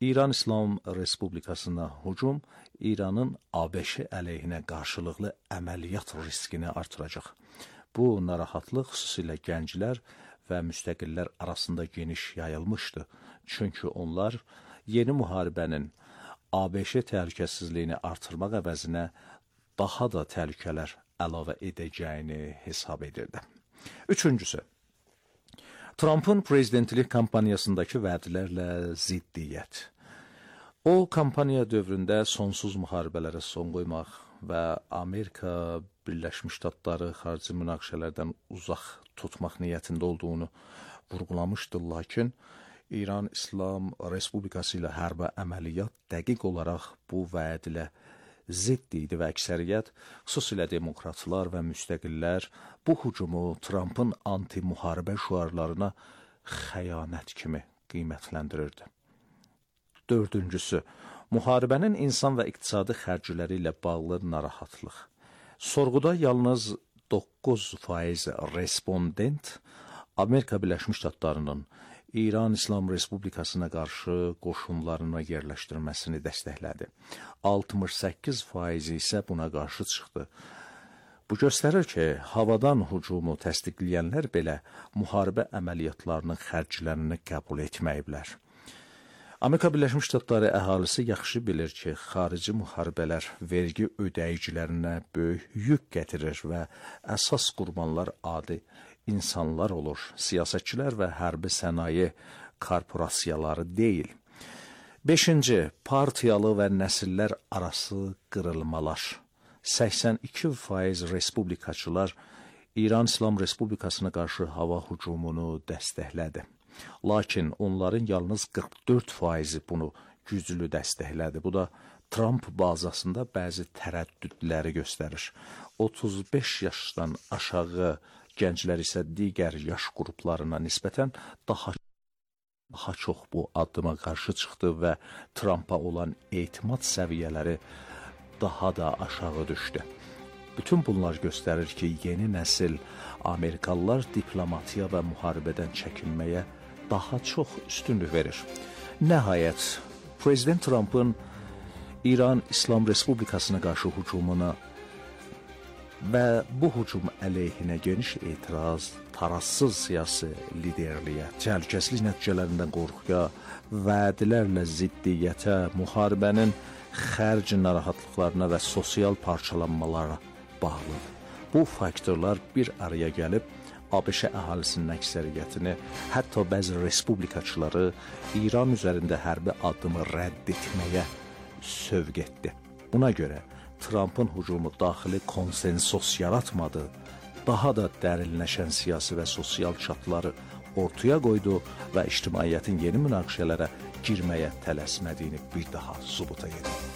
B: İran İslam Respublikasına hücum İranın A B Ş əleyhinə qarşılıqlı əməliyyat riskini artıracaq. Bu narahatlıq xüsusilə gənclər və müstəqillər arasında geniş yayılmışdı. Çünki onlar yeni müharibənin A B Ş təhlükəsizliyini artırmaq əvəzinə daha da təhlükələr əlavə edəcəyini hesab edirdi. Üçüncüsü, Trumpın prezidentlik kampaniyasındakı vədlərlə ziddiyyət. O, kampaniya dövründə sonsuz müharibələrə son qoymaq və Amerika Birləşmiş Ştatları xarici münaqişələrdən uzaq tutmaq niyyətində olduğunu vurğulamışdı, lakin İran İslam Respublikası ilə hərbi əməliyyat dəqiq olaraq bu vəd ilə zidd idi və əksəriyyət, xüsusilə demokratlar və müstəqillər bu hücumu Trumpın anti-müharibə şüarlarına xəyanət kimi qiymətləndirirdi. Dördüncüsü, müharibənin insan və iqtisadi xərcləri ilə bağlı narahatlıq. Sorğuda yalnız doqquz faiz respondent Amerika Birləşmiş Ştatlarının İran İslam Respublikasına qarşı qoşunlarını yerləşdirməsini dəstəklədi. altmış səkkiz faiz isə buna qarşı çıxdı. Bu göstərir ki, havadan hücumu təsdiqləyənlər belə müharibə əməliyyatlarının xərclərini qəbul etməyiblər. Amerika Birləşmiş Ştatları əhalisi yaxşı bilir ki, xarici müharibələr vergi ödəyicilərinə böyük yük gətirir və əsas qurbanlar adi insanlar olur, siyasətçilər və hərbi sənaye korporasiyaları deyil. Beşinci, partiyalı və nəsillər arası qırılmalar. səksən iki faiz respublikaçılar İran İslam Respublikasına qarşı hava hücumunu dəstəklədi. Lakin onların yalnız qırx dörd faizi bunu güclü dəstəklədi. Bu da Trump bazasında bəzi tərəddüdləri göstərir. otuz beş yaşdan aşağı gənclər isə digər yaş qruplarına nisbətən daha, daha çox bu addıma qarşı çıxdı və Trumpa olan etimad səviyyələri daha da aşağı düşdü. Bütün bunlar göstərir ki, yeni nəsil Amerikalılar diplomatiya və müharibədən çəkinməyə daha çox üstünlük verir. Nəhayət, Prezident Trumpın İran İslam Respublikasına qarşı hücumuna və bu hücum əleyhinə geniş etiraz, tarazsız siyasi liderliyə, təhlükəsizlik nəticələrindən qorxuya, vədlərlə ziddiyyətə, müharibənin xərc narahatlıqlarına və sosial parçalanmalara bağlıdır. Bu faktorlar bir araya gəlib, A B Ş əhalisinin əksəriyyətini, hətta bəzi respublikaçıları İran üzərində hərbi addımı rədd etməyə sövq etdi. Buna görə Trumpın hücumu daxili konsensus yaratmadı, daha da dərinləşən siyasi və sosial çatları ortaya qoydu və ictimaiyyətin yeni münaqişələrə girməyə tələsmədiyini bir daha sübuta yetirdi.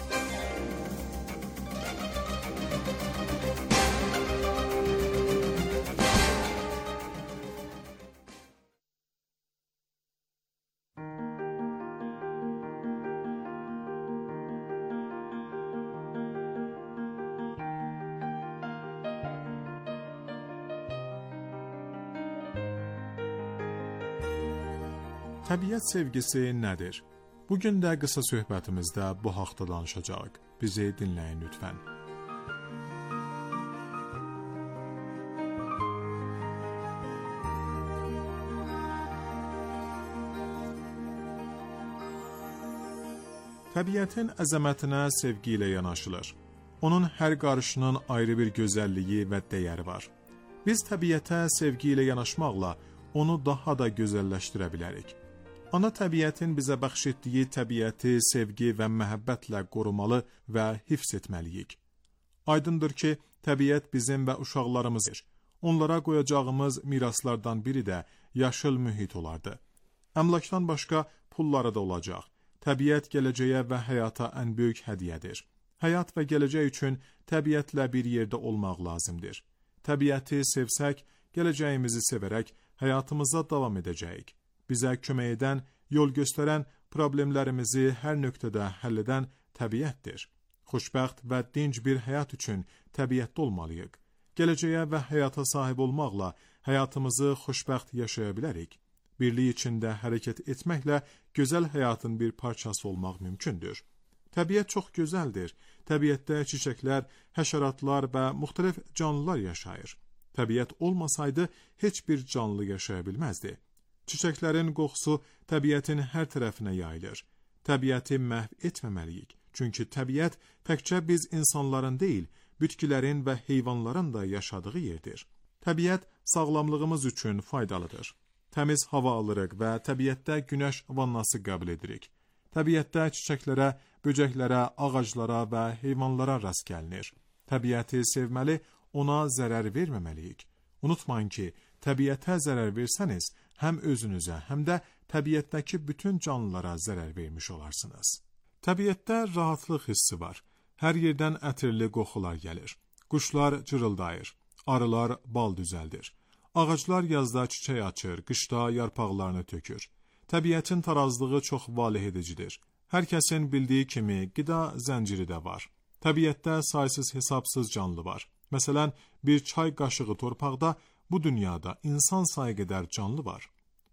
D: Təbiət sevgisi nədir? Bugün də qısa söhbətimizdə bu haqda danışacağıq. Bizi dinləyin lütfən. Təbiətin əzəmətinə sevgi ilə yanaşılır. Onun hər qarışının ayrı bir gözəlliyi və dəyəri var. Biz təbiətə sevgi ilə yanaşmaqla onu daha da gözəlləşdirə bilərik. Ana təbiətin bizə bəxş etdiyi təbiəti sevgi və məhəbbətlə qorumalı və hifz etməliyik. Aydındır ki, təbiət bizim və uşaqlarımızdır. Onlara qoyacağımız miraslardan biri də yaşıl mühit olardı. Əmlakdan başqa pulları da olacaq. Təbiət gələcəyə və həyata ən böyük hədiyyədir. Həyat və gələcək üçün təbiətlə bir yerdə olmaq lazımdır. Təbiəti sevsək, gələcəyimizi sevərək həyatımıza davam edəcəyik. Bizə kömək edən, yol göstərən, problemlərimizi hər nöqtədə həll edən təbiətdir. Xoşbəxt və dinc bir həyat üçün təbiətdə olmalıyıq. Gələcəyə və həyata sahib olmaqla həyatımızı xoşbəxt yaşaya bilərik. Birlik içində hərəkət etməklə gözəl həyatın bir parçası olmaq mümkündür. Təbiət çox gözəldir. Təbiətdə çiçəklər, həşəratlar və müxtəlif canlılar yaşayır. Təbiət olmasaydı heç bir canlı yaşaya bilməzdi. Çiçəklərin qoxusu təbiətin hər tərəfinə yayılır. Təbiəti məhv etməməliyik. Çünki təbiət təkcə biz insanların deyil, bitkilərin və heyvanların da yaşadığı yerdir. Təbiət sağlamlığımız üçün faydalıdır. Təmiz hava alırıq və təbiətdə günəş vannası qəbul edirik. Təbiətdə çiçəklərə, böcəklərə, ağaclara və heyvanlara rast gəlinir. Təbiəti sevməli, ona zərər verməməliyik. Unutmayın ki, təbiətə zərər versəniz, həm özünüzə, həm də təbiətdəki bütün canlılara zərər vermiş olarsınız. Təbiətdə rahatlıq hissi var. Hər yerdən ətirli qoxular gəlir. Quşlar cırıldayır. Arılar bal düzəldir. Ağaclar yazda çiçək açır, qışda yarpaqlarını tökür. Təbiətin tarazlığı çox valeh edicidir. Hər kəsin bildiyi kimi qida zənciri də var. Təbiətdə saysız hesabsız canlı var. Məsələn, bir çay qaşığı torpaqda bu dünyada insan sayı qədər canlı var.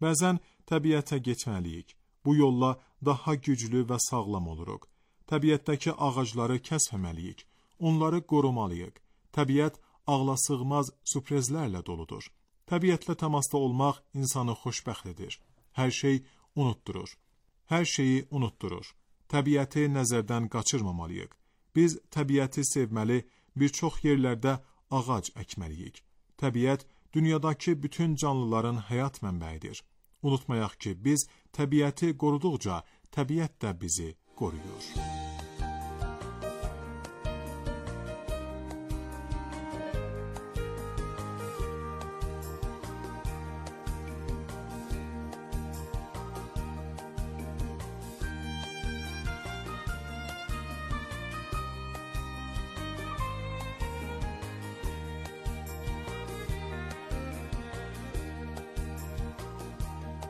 D: Bəzən təbiətə getməliyik. Bu yolla daha güclü və sağlam oluruq. Təbiətdəki ağacları kəsməməliyik. Onları qorumalıyıq. Təbiət ağlasığmaz sürprizlərlə doludur. Təbiətlə təmasda olmaq insanı xoşbəxt edir. Hər şey unutdurur. Hər şeyi unutdurur. Təbiəti nəzərdən qaçırmamalıyıq. Biz təbiəti sevməli, bir çox yerlərdə ağac əkməliyik. Təbiət dünyadakı bütün canlıların həyat mənbəyidir. Unutmayaq ki, biz təbiəti qoruduqca, təbiət də bizi qoruyur.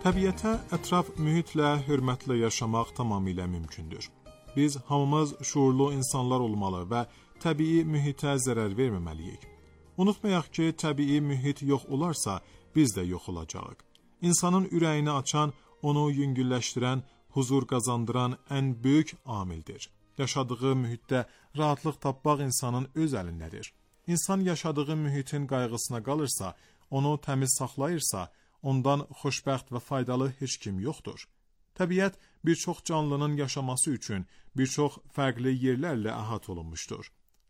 D: Təbiətə, ətraf mühitlə hörmətlə yaşamaq tamamilə mümkündür. Biz hamımız şuurlu insanlar olmalı və təbii mühitə zərər verməməliyik. Unutmayaq ki, təbii mühit yox olarsa, biz də yox olacağıq. İnsanın ürəyini açan, onu yüngülləşdirən, huzur qazandıran ən böyük amildir. Yaşadığı mühitdə rahatlıq tapmaq insanın öz əlindədir. İnsan yaşadığı mühitin qayğısına qalırsa, onu təmiz saxlayırsa, ondan xoşbəxt və faydalı heç kim yoxdur. Təbiət bir çox canlının yaşaması üçün bir çox fərqli yerlərlə əhat olunmuşdur.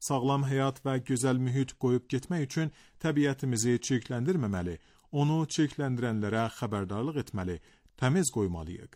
D: Sağlam həyat və gözəl mühit qoyub getmək üçün təbiətimizi çirkləndirməməli, onu çirkləndirənlərə xəbərdarlıq etməli, təmiz qoymalıyıq.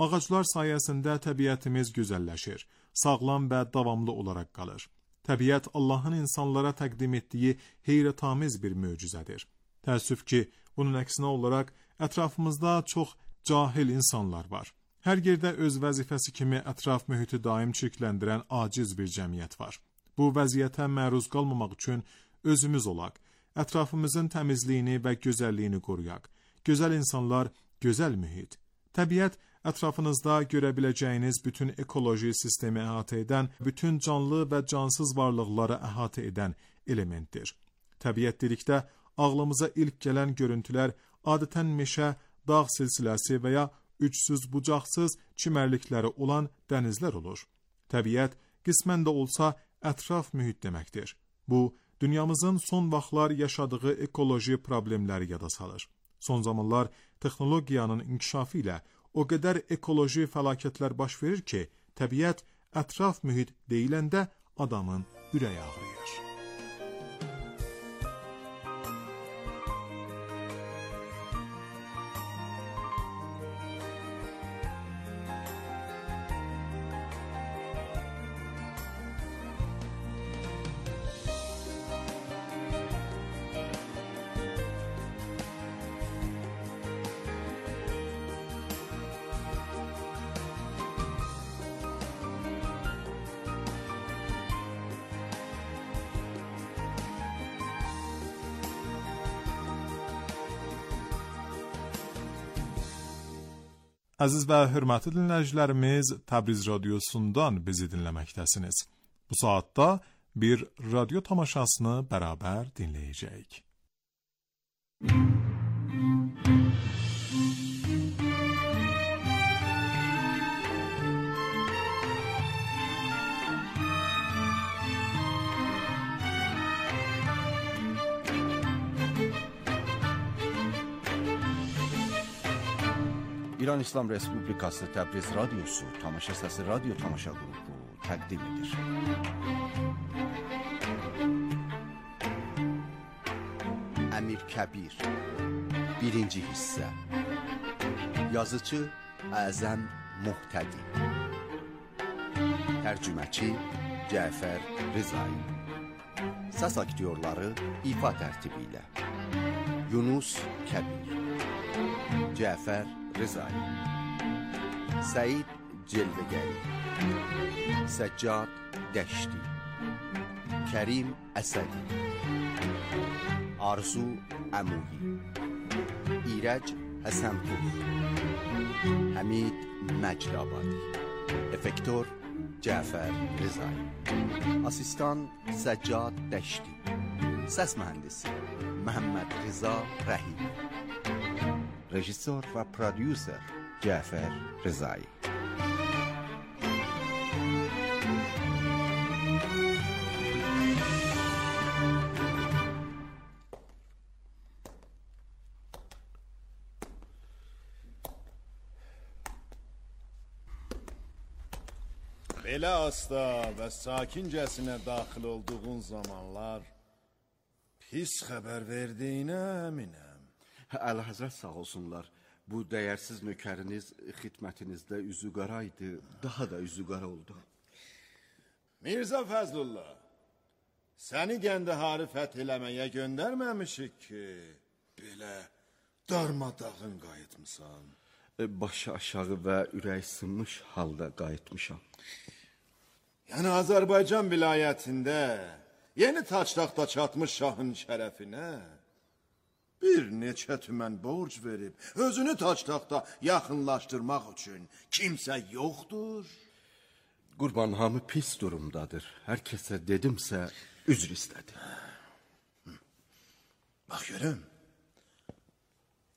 D: Ağaclar sayəsində təbiətimiz gözəlləşir, sağlam və davamlı olaraq qalır. Təbiət Allahın insanlara təqdim etdiyi heyrətamiz bir möcüzədir. Təəssüf ki, bunun əksinə olaraq ətrafımızda çox cahil insanlar var. Hər yerdə öz vəzifəsi kimi ətraf mühiti daim çirkləndirən aciz bir cəmiyyət var. Bu vəziyyətə məruz qalmamaq üçün özümüz olaq, ətrafımızın təmizliyini və gözəlliyini qoruyaq. Gözəl insanlar, gözəl mühit. Təbiət ətrafınızda görə biləcəyiniz bütün ekoloji sistemi əhatə edən, bütün canlı və cansız varlıqları əhatə edən elementdir. Təbiət dedikdə ağlımıza ilk gələn görüntülər adətən meşə, dağ silsiləsi və ya ücsüz bucaqsız çimərlikləri olan dənizlər olur. Təbiət qismən də olsa ətraf mühit deməkdir. Bu, dünyamızın son vaxtlar yaşadığı ekoloji problemləri yada salır. Son zamanlar texnologiyanın inkişafı ilə o qədər ekoloji fəlakətlər baş verir ki, təbiət ətraf mühit deyiləndə adamın ürəyi ağrıyır. Əziz və hörmətli dinləyicilərimiz, Təbriz radiosundan bizi dinləməkdəsiniz. Bu saatda bir radyo tamaşasını bərabər dinləyəcəyik.
E: İran İslam Respublikası Təbriz Radyosu Tamaşa Səsi Radyo Tamaşa Qrupu təqdim edir. Əmir Kəbir Birinci hissə. Yazıcı Əzəm Muhtədi. Tərcüməçi Cəfər Rızai. Səs aktyorları ifa tərtibi ilə Yunus Kəbir, Cəfər Rızai, Səid Celvegəri, Səccad Dəşti, Kərim Əsədi, Arzu Əmuyi, İrəc Həsənpur, Həmid Məcdabadi, Effektor Cəfər Rızai, Asistan Səccad Dəşti, Səs mühəndisi Məhəmməd Rıza Rəhim, Rejissor və prodüser Cəfər Rızai.
F: Belə asta və sakincəsinə daxil olduğun zamanlar pis xəbər verdiyinə əminəm.
E: Əlahəzrət sağ olsunlar. Bu dəyərsiz nökəriniz xidmətinizdə üzü qara idi, daha da üzü qara oldu.
F: Mirzə Fəzlullah, səni Qəndəharı fəth eləməyə göndərməmişik ki, belə darmadağın qayıtmısan.
E: Başı aşağı və ürək sınmış halda qayıtmışam.
F: Yəni Azərbaycan vilayətində yeni taçtaxta çatmış şahın şərəfinə bir neçə tümən borc verib, özünü taçtaxta yaxınlaşdırmaq üçün kimsə yoxdur.
E: Qurban hamı pis durumdadır. Hər kəsə dedimsə, üzr istədi.
F: Bax görüm,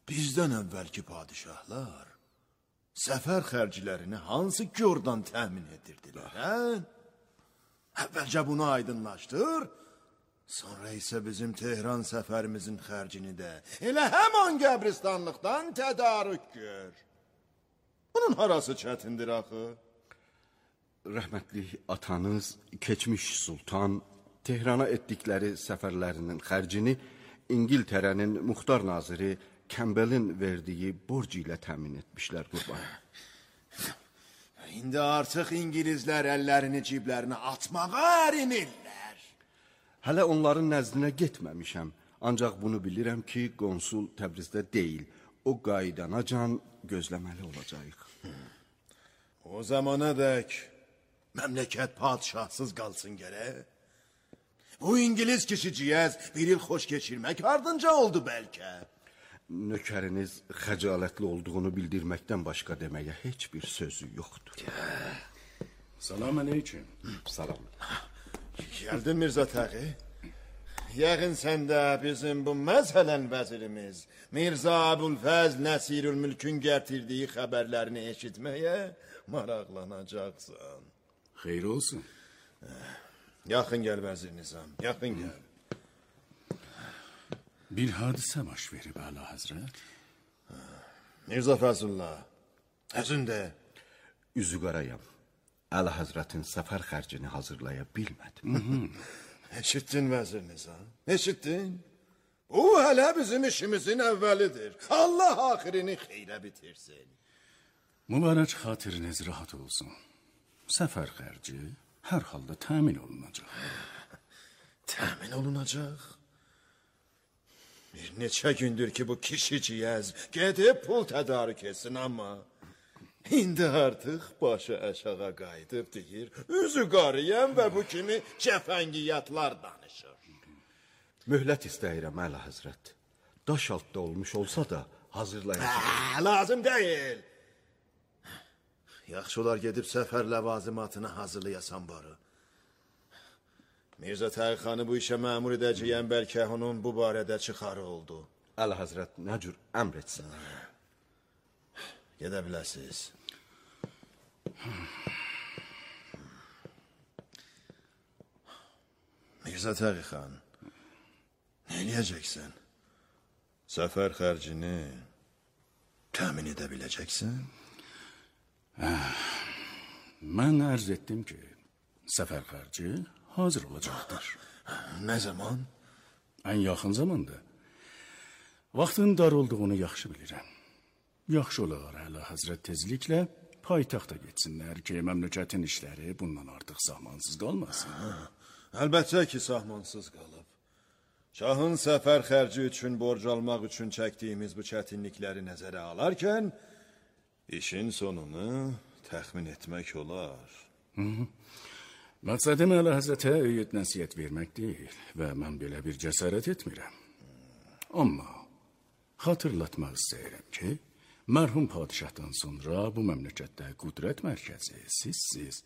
F: bizdən əvvəlki padişahlar səfər xərclərini hansı yordan təmin edirdilər, hə? Əvvəlcə bunu aydınlaşdır, sonra isə bizim Tehran səfərimizin xərcini də elə həman qəbristanlıqdan tədarük gör. Bunun harası çətindir axı?
E: Rəhmətli atanız, keçmiş sultan, Tehrana etdikləri səfərlərinin xərcini İngiltərənin muxtar naziri Kembelin verdiyi borc ilə təmin etmişlər qurban.
F: İndi artıq İngilizlər əllərini ciblərinə atmağa ərinirlər.
E: Hələ onların nəzdinə getməmişəm. Ancaq bunu bilirəm ki, konsul Təbrizdə deyil. O qaydanacan gözləməli olacaq.
F: O zamana dək məmləkət padişahsız qalsın gərək. Bu İngiliz kişiciyəz bir il xoş keçirmək ardınca oldu bəlkə.
E: Nökəriniz xəcalətli olduğunu bildirməkdən başqa deməyə heç bir sözü yoxdur.
G: Salam aleyküm.
E: Salam.
F: Gəldin Mirzə Təği? Yəqin sən də bizim bu məzhələn vəzirimiz Mirzə Əbülfəzl Nəsirülmülkün gətirdiyi xəbərlərini eşitməyə maraqlanacaqsan.
G: Xeyr olsun.
F: Yaxın gəl vəzir Nizam, yaxın gəl.
G: Bir hadisə baş verib Əla Həzrət.
F: Mirzə Fəzullah, özün də.
E: Üzü qarayam. Əla Həzrətin səfər xərcini hazırlaya bilmədim.
F: Eşitdin vəzir Nizam, eşitdin? Bu hələ bizim işimizin əvvəlidir. Allah axirini xeyrə bitirsin.
G: Mübarək xatiriniz rahat olsun. Səfər xərci hər halda təmin olunacaq.
F: Təmin olunacaq? Bir neçə gündür ki bu kişi ciyəz gedib pul tədarük etsin amma indi artıq başı aşağı qayıdıb deyir, üzü qarıyam və bu kimi cəfəngiyyatlar danışır.
E: Möhlət istəyirəm Əla Həzrət. Daş altda olmuş olsa da hazırlayacaq.
F: Lazım deyil. Yaxşı olar gedib səfər ləvazimatını hazırlayasan barı. Mirzə Tağixanı bu işə məmur edəcəyən bəlkə onun bu barədə çıxarı oldu.
E: Əla Həzrət nə cür əmr etsin.
F: Gedə biləsiniz. Mirzə Tağixan, nə eləyəcəksən? Səfər xərcini təmin edə biləcəksən?
G: Mən ərz etdim ki, səfər xərci hazır olacaqdır.
F: Nə zaman?
G: Ən yaxın zamanda. Vaxtın dar olduğunu yaxşı bilirəm. Yaxşı olar Əla Həzrət tezliklə paytaxta getsinlər ki, məmləkətin işləri bundan artıq sahmansız qalmasın.
F: Əlbəttə ki, sahmansız qalıb. Şahın səfər xərci üçün borc almaq üçün çəkdiyimiz bu çətinlikləri nəzərə alarkən, işin sonunu təxmin etmək olar.
G: Hı -hı. Məqsədim Əla Həzrətə öyüd nəsiyyət vermək deyil və mən belə bir cəsarət etmirəm. Amma xatırlatmaq istəyirəm ki, mərhum padişahdan sonra bu məmləkətdə qüdrət mərkəzi sizsiz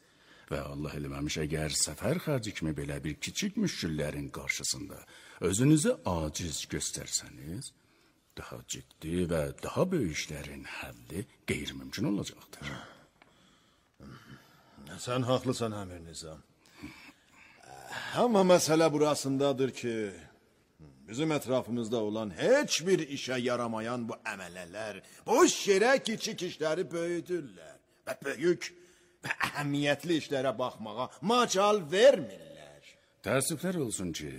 G: və Allah eləməmiş əgər səfər xərci kimi belə bir kiçik müşküllərin qarşısında özünüzü aciz göstərsəniz, daha ciddi və daha böyük işlərin həlli qeyri-mümkün olacaqdır.
F: Sən haqlısan Əmir Nizam. Amma məsələ burasındadır ki, bizim ətrafımızda olan heç bir işə yaramayan bu əmələlər boş yerə kiçik işləri böyüdürlər və böyük və əhəmiyyətli işlərə baxmağa macal vermirlər.
G: Təəssüflər olsun ki,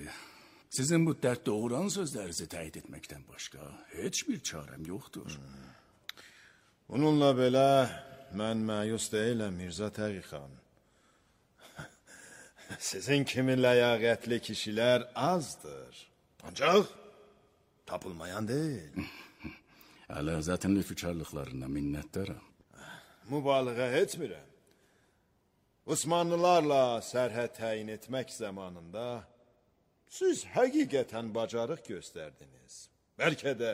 G: sizin bu dərd doğuran sözlərinizi təyid etməkdən başqa heç bir çarəm yoxdur.
F: Hmm. Bununla belə mən məyus deyiləm Mirzə Tağixan. Sizin kimi ləyaqətli kişilər azdır. Ancaq tapılmayan deyil.
G: Əla Həzrətin lütfükarlıqlarına minnətdaram.
F: Mübaliğə etmirəm. Osmanlılarla sərhəd təyin etmək zamanında siz həqiqətən bacarıq göstərdiniz. Bəlkə də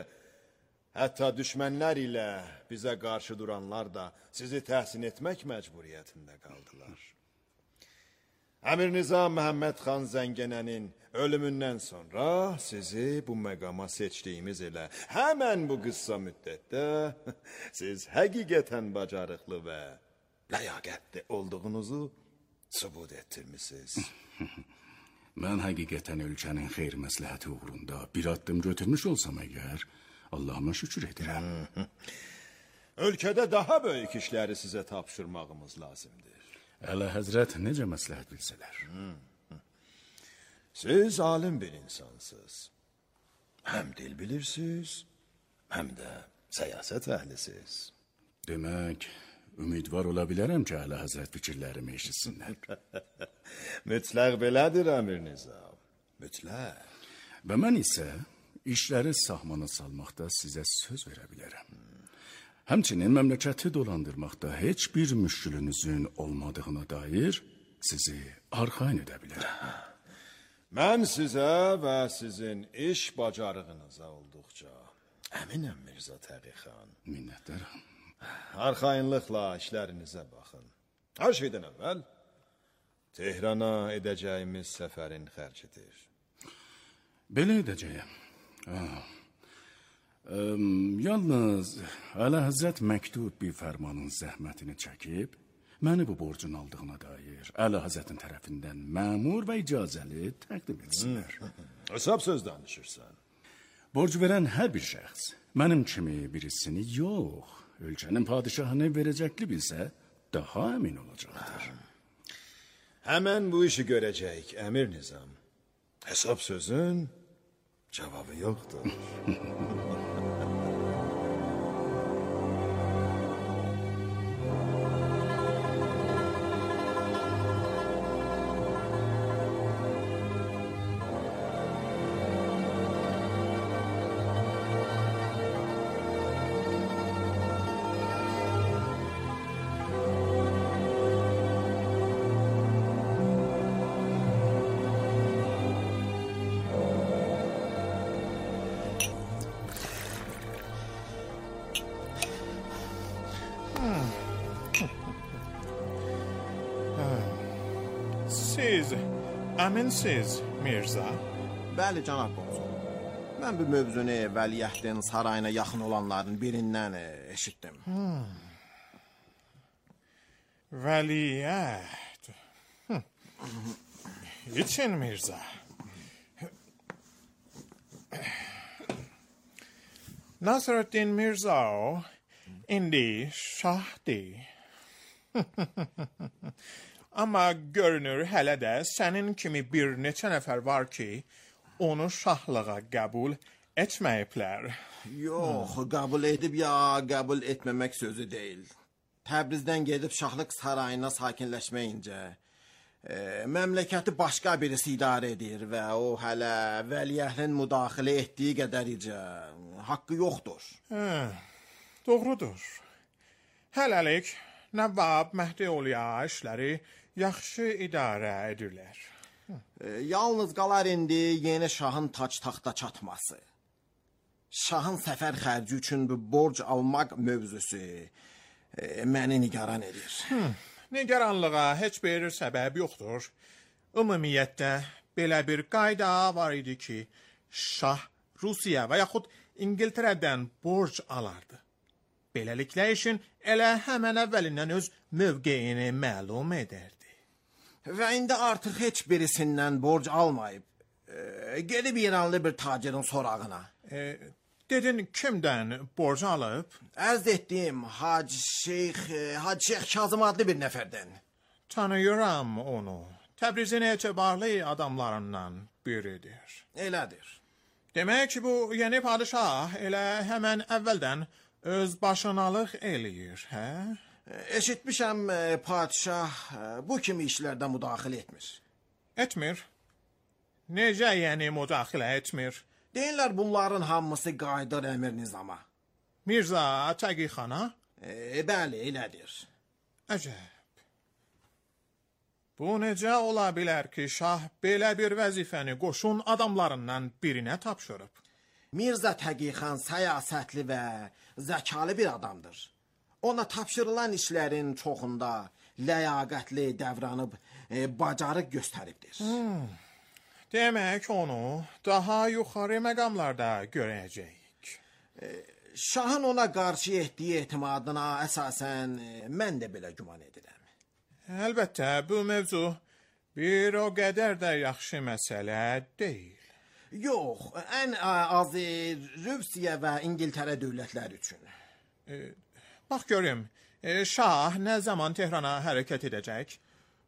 F: hətta düşmənlər ilə bizə qarşı duranlar da sizi təhsin etmək məcburiyyətində qaldılar. Əmir Nizam Məhəmməd xan Zəngənənin ölümündən sonra sizi bu məqama seçdiyimiz elə həmən bu qısa müddətdə siz həqiqətən bacarıqlı və ləyaqətli olduğunuzu sübut etdirmisiniz.
G: Mən həqiqətən ölkənin xeyr məsləhəti uğrunda bir addım götürmüş olsam əgər, Allahıma şükür edirəm.
F: Ölkədə daha böyük işləri sizə tapşırmağımız lazımdır.
G: Əla Həzrət necə məsləhət bilsələr.
F: Siz alim bir insansınız. Həm dil bilirsiniz, həm də səyasət əhlisiniz.
G: Demək, ümidvar ola bilərəm ki, Əla Həzrət fikirlərimi eşitsinlər.
F: Mütləq belədir Əmir Nizam, mütləq.
G: Və mən isə işləri sahmana salmaqda sizə söz verə bilərəm. Həmçinin məmləkəti dolandırmaqda heç bir müşkülünüzün olmadığına dair sizi arxayın edə bilərəm.
F: Mən sizə və sizin iş bacarığınıza olduqca əminəm Mirzə Tağixan.
G: Minnətdaram.
F: Arxayınlıqla işlərinizə baxın. Hər şeydən əvvəl Tehrana edəcəyimiz səfərin xərcidir.
G: Belə edəcəyəm. Ah. Əm, yalnız Əlahəzrət məktub bir fərmanın zəhmətini çəkib, məni bu borcun aldığına dair Əlahəzrətin tərəfindən məmur və icazəli təqdim etsinlər.
F: Hesab söz danışırsan.
G: Borc verən hər bir şəxs mənim kimi birisini yox, ölkənin padişahını verəcəkli bilsə, daha əmin olacaqdır.
F: Hemen bu işi görəcəyik, Əmir Nizam. Hesap sözün cevabı yoktur.
D: Siz əminsiz, Mirza?
H: Bəli, cənab konsul. Mən bu mövzunu vəliəhdin sarayına yaxın olanların birindən e, eşitdim.
D: Hmm. Vəliəhd. Hm. İçin, Mirza. Nasreddin Mirza o, indi şahdi. Amma görünür hələ də sənin kimi bir neçə nəfər var ki, onu şahlığa qəbul etməyiblər.
H: Yox, qəbul edib ya qəbul etməmək sözü deyil. Təbrizdən gedib şahlıq sarayına sakinləşməyincə, e, məmləkəti başqa birisi idarə edir və o hələ vəliəhlin müdaxilə etdiyi qədəricə haqqı yoxdur.
D: Hə, doğrudur. Hələlik Nəvab Məhdioğluya işləri yaxşı idarə edirlər.
H: E, yalnız qalar indi yeni şahın tac taxta çatması. Şahın səfər xərci üçün bu borc almaq mövzusu e, məni nigaran edir.
D: Hmm, nigaranlığa heç bir səbəb yoxdur. Ümumiyyətlə belə bir qayda var idi ki, şah Rusiya və yaxud İngiltərədən borc alardı. Beləliklə işin elə həmən əvvəlindən öz mövqeyini məlum edərdi.
H: Və indi artıq heç birisindən borc almayıb, e, gedib İranlı bir tacirin sorağına.
D: E, dedin kimdən borc alıb?
H: Ərz etdiyim Hacı Şeyx, e, Hacı Şeyx Kazım adlı bir nəfərdən.
D: Tanıyıram onu. Təbrizin etibarlı adamlarından biridir.
H: Elədir.
D: Demək ki, bu yeni padişah elə həmən əvvəldən öz başınalıq eləyir, hə?
H: Eşitmişəm, e, padişah e, bu kimi işlərdə müdaxilə etmir.
D: Etmir. Necə yəni müdaxilə etmir?
H: Deyirlər bunların hamısı qayıdır Əmir Nizama.
D: Mirza Təqixana?
H: E, bəli, elədir.
D: Əcəb. Bu necə ola bilər ki, şah belə bir vəzifəni qoşun adamlarından birinə tapşırıb?
H: Mirza Təqixan səyasətli və zəkalı bir adamdır. Ona tapşırılan işlərin çoxunda ləyaqətli davranıb e, bacarıq göstəribdir.
D: Hmm. Demək onu daha yuxarı məqamlarda görəcəyik.
H: E, şahın ona qarşı etdiyi etimadına əsasən e, mən də belə güman edirəm.
D: Əlbəttə bu mövzu bir o qədər də yaxşı məsələ deyil.
H: Yox, ən azı Rusiya və İngiltərə dövlətləri üçün.
D: E, bax görüm, e, şah nə zaman Tehrana hərəkət edəcək?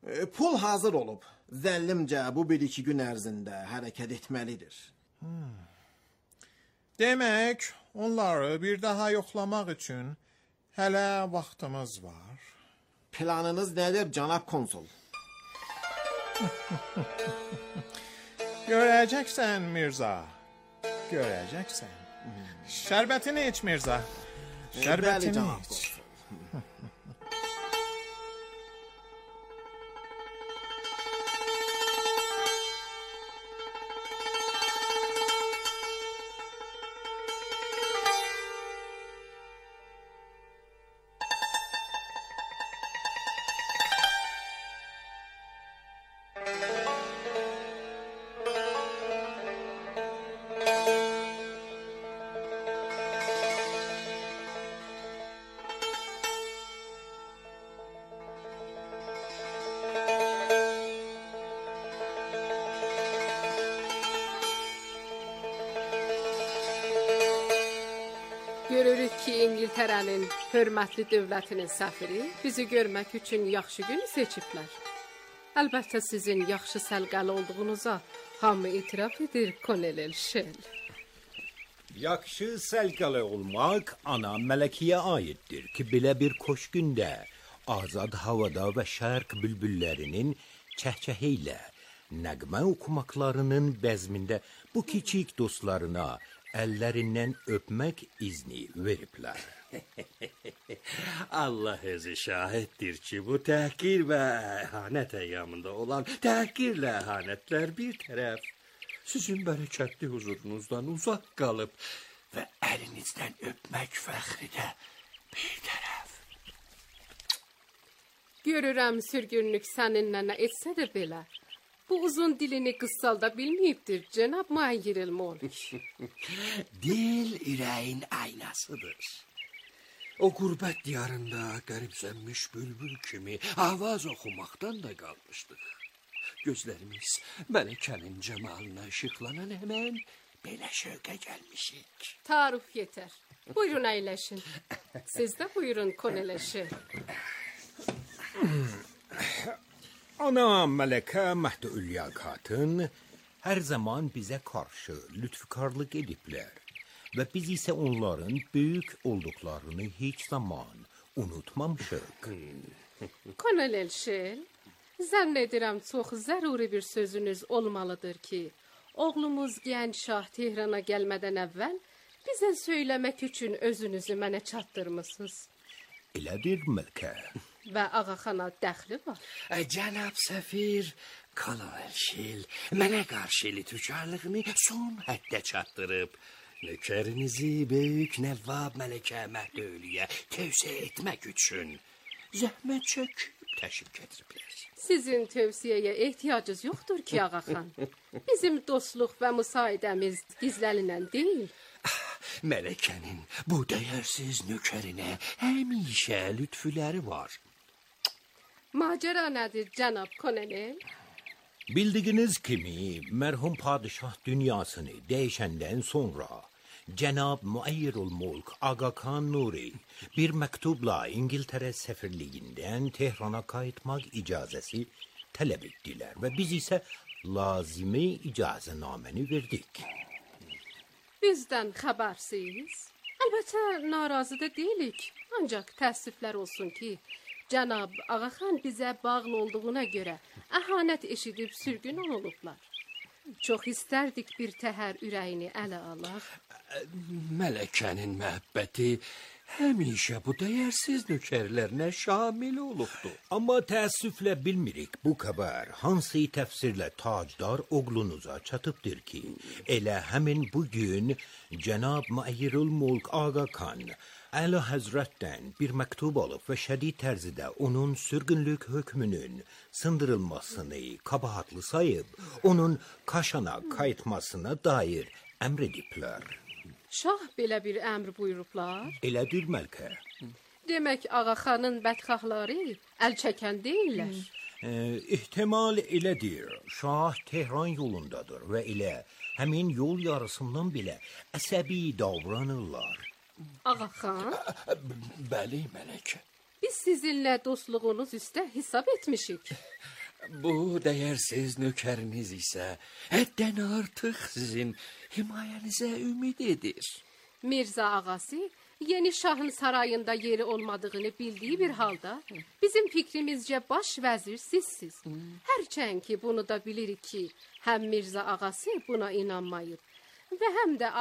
H: E, pul hazır olub. Zəllimcə bu bir-iki gün ərzində hərəkət etməlidir.
D: Hmm. Demək, onları bir daha yoxlamaq üçün hələ vaxtımız var.
H: Planınız nədir, cənab konsul?
D: Görəcəksən Mirza. Görəcəksən. Şərbətini iç Mirza. Şərbətini iç.
I: Görürük ki İngiltərənin hörmətli dövlətinin səfiri bizi görmək üçün yaxşı günü seçiblər. Əlbəttə sizin yaxşı səlqəli olduğunuza hamı etiraf edir, Kolonel Shell.
J: Yaxşı səlqəli olmaq ana mələkiyə aiddir ki, belə bir xoş gündə azad havada və şərq bülbüllərinin çəhçəhi ilə nəğmə oxumaqlarının bəzmində bu kiçik dostlarına əllərindən öpmək izni veriblər.
K: Allah özü şahiddir ki, bu təhqir və əhanət əyyamında olan təhqirlə əhanətlər bir tərəf, sizin bərəkətli huzurunuzdan uzaq qalıb və əlinizdən öpmək fəxri də bir tərəf.
I: Görürəm sürgünlük səninlə nə etsə də belə. Bu uzun dilini qıssalda bilməyibdir, cənab Mayer Mulk.
K: Dil ürəyin aynasıdır. O qürbət diyarında qəribsənmiş bülbül kimi avaz oxumaqdan da qalmışdıq. Gözlərimiz mələkənin cəmalına işıqlanan həmən belə şövqə gəlmişik.
I: Tarif yetər. Buyurun əyləşin. Siz də buyurun konələşin.
J: Ana mələkə Məhdülya Xatun hər zaman bizə qarşı lütfkarlıq ediblər və biz isə onların böyük olduqlarını heç zaman unutmamışıq.
I: Kolonel Shell, zənn edirəm çox zəruri bir sözünüz olmalıdır ki, oğlumuz gənc şah Tehrana gəlmədən əvvəl bizə söyləmək üçün özünüzü mənə çatdırmısınız.
J: Elədir mələkə.
I: Və ağaxana dəxli var.
K: Cənab səfir, Kolonel Shell mənə qarşı lütfkarlığını son həddə çatdırıb. Nökərinizi böyük Nəvvab mələkə Məhdülya tövsiyə etmək üçün zəhmət çəkib təşrif gətiriblər.
I: Sizin tövsiyəyə ehtiyacınız yoxdur ki, ağaxan. Bizim dostluq və müsaidəmiz gizlənilən deyil.
K: Mələkənin bu dəyərsiz nökərinə həmişə lütfüləri var.
I: Macəra nədir, cənab Kolonel?
J: Bildiyiniz kimi, mərhum padişah dünyasını dəyişəndən sonra Cənab Muayyirul-Mulk Aga Khan Nuri bir məktubla İngiltərə səfirliyindən Tehrana qayıtmaq icazəsi tələb etdilər və biz isə lazımi icazənaməni verdik.
I: Bizdən xəbərsiz. Əlbəttə narazı da deyilik. Ancaq təəssüflər olsun ki, Cənab Ağaxan bizə bağlı olduğuna görə əhanət eşidib sürgün olublar. Çox istərdik bir təhər ürəyini ələ alaq.
K: Mələkənin məhəbbəti həmişə bu dəyərsiz nökərlərinə şamil olubdur.
J: Amma təəssüflə bilmirik bu xəbər hansı təfsirlə tacdar oğlunuza çatıbdır ki, elə həmin bugün Cənab Muayyirul-Mulk Aga Khan Əla Həzrətdən bir məktub alıb və şədid tərzidə onun sürgünlük hökmünün sındırılmasını kabahatlı sayıb, onun Kaşana qayıtmasına dair əmr ediblər.
I: Şah belə bir əmr buyurublar.
J: Elədir məlkə.
I: Demək Ağaxanın bədxahları əl çəkən deyirlər.
J: E, ihtimal elədir. Şah Tehran yolundadır və elə həmin yol yarısından belə əsəbi davranırlar.
I: Ağaxan?
K: Bəli, mələkə.
I: Biz sizinlə dostluğunuz üstə hesab etmişik.
K: Bu dəyərsiz nökəriniz isə həddən artıq sizin himayənizə ümid edir.
I: Mirza ağası yeni şahın sarayında yeri olmadığını bildiyi bir halda bizim fikrimizcə baş vəzir sizsiz. Hərçənd ki bunu da bilirik ki həm Mirza ağası buna inanmayıb və həm də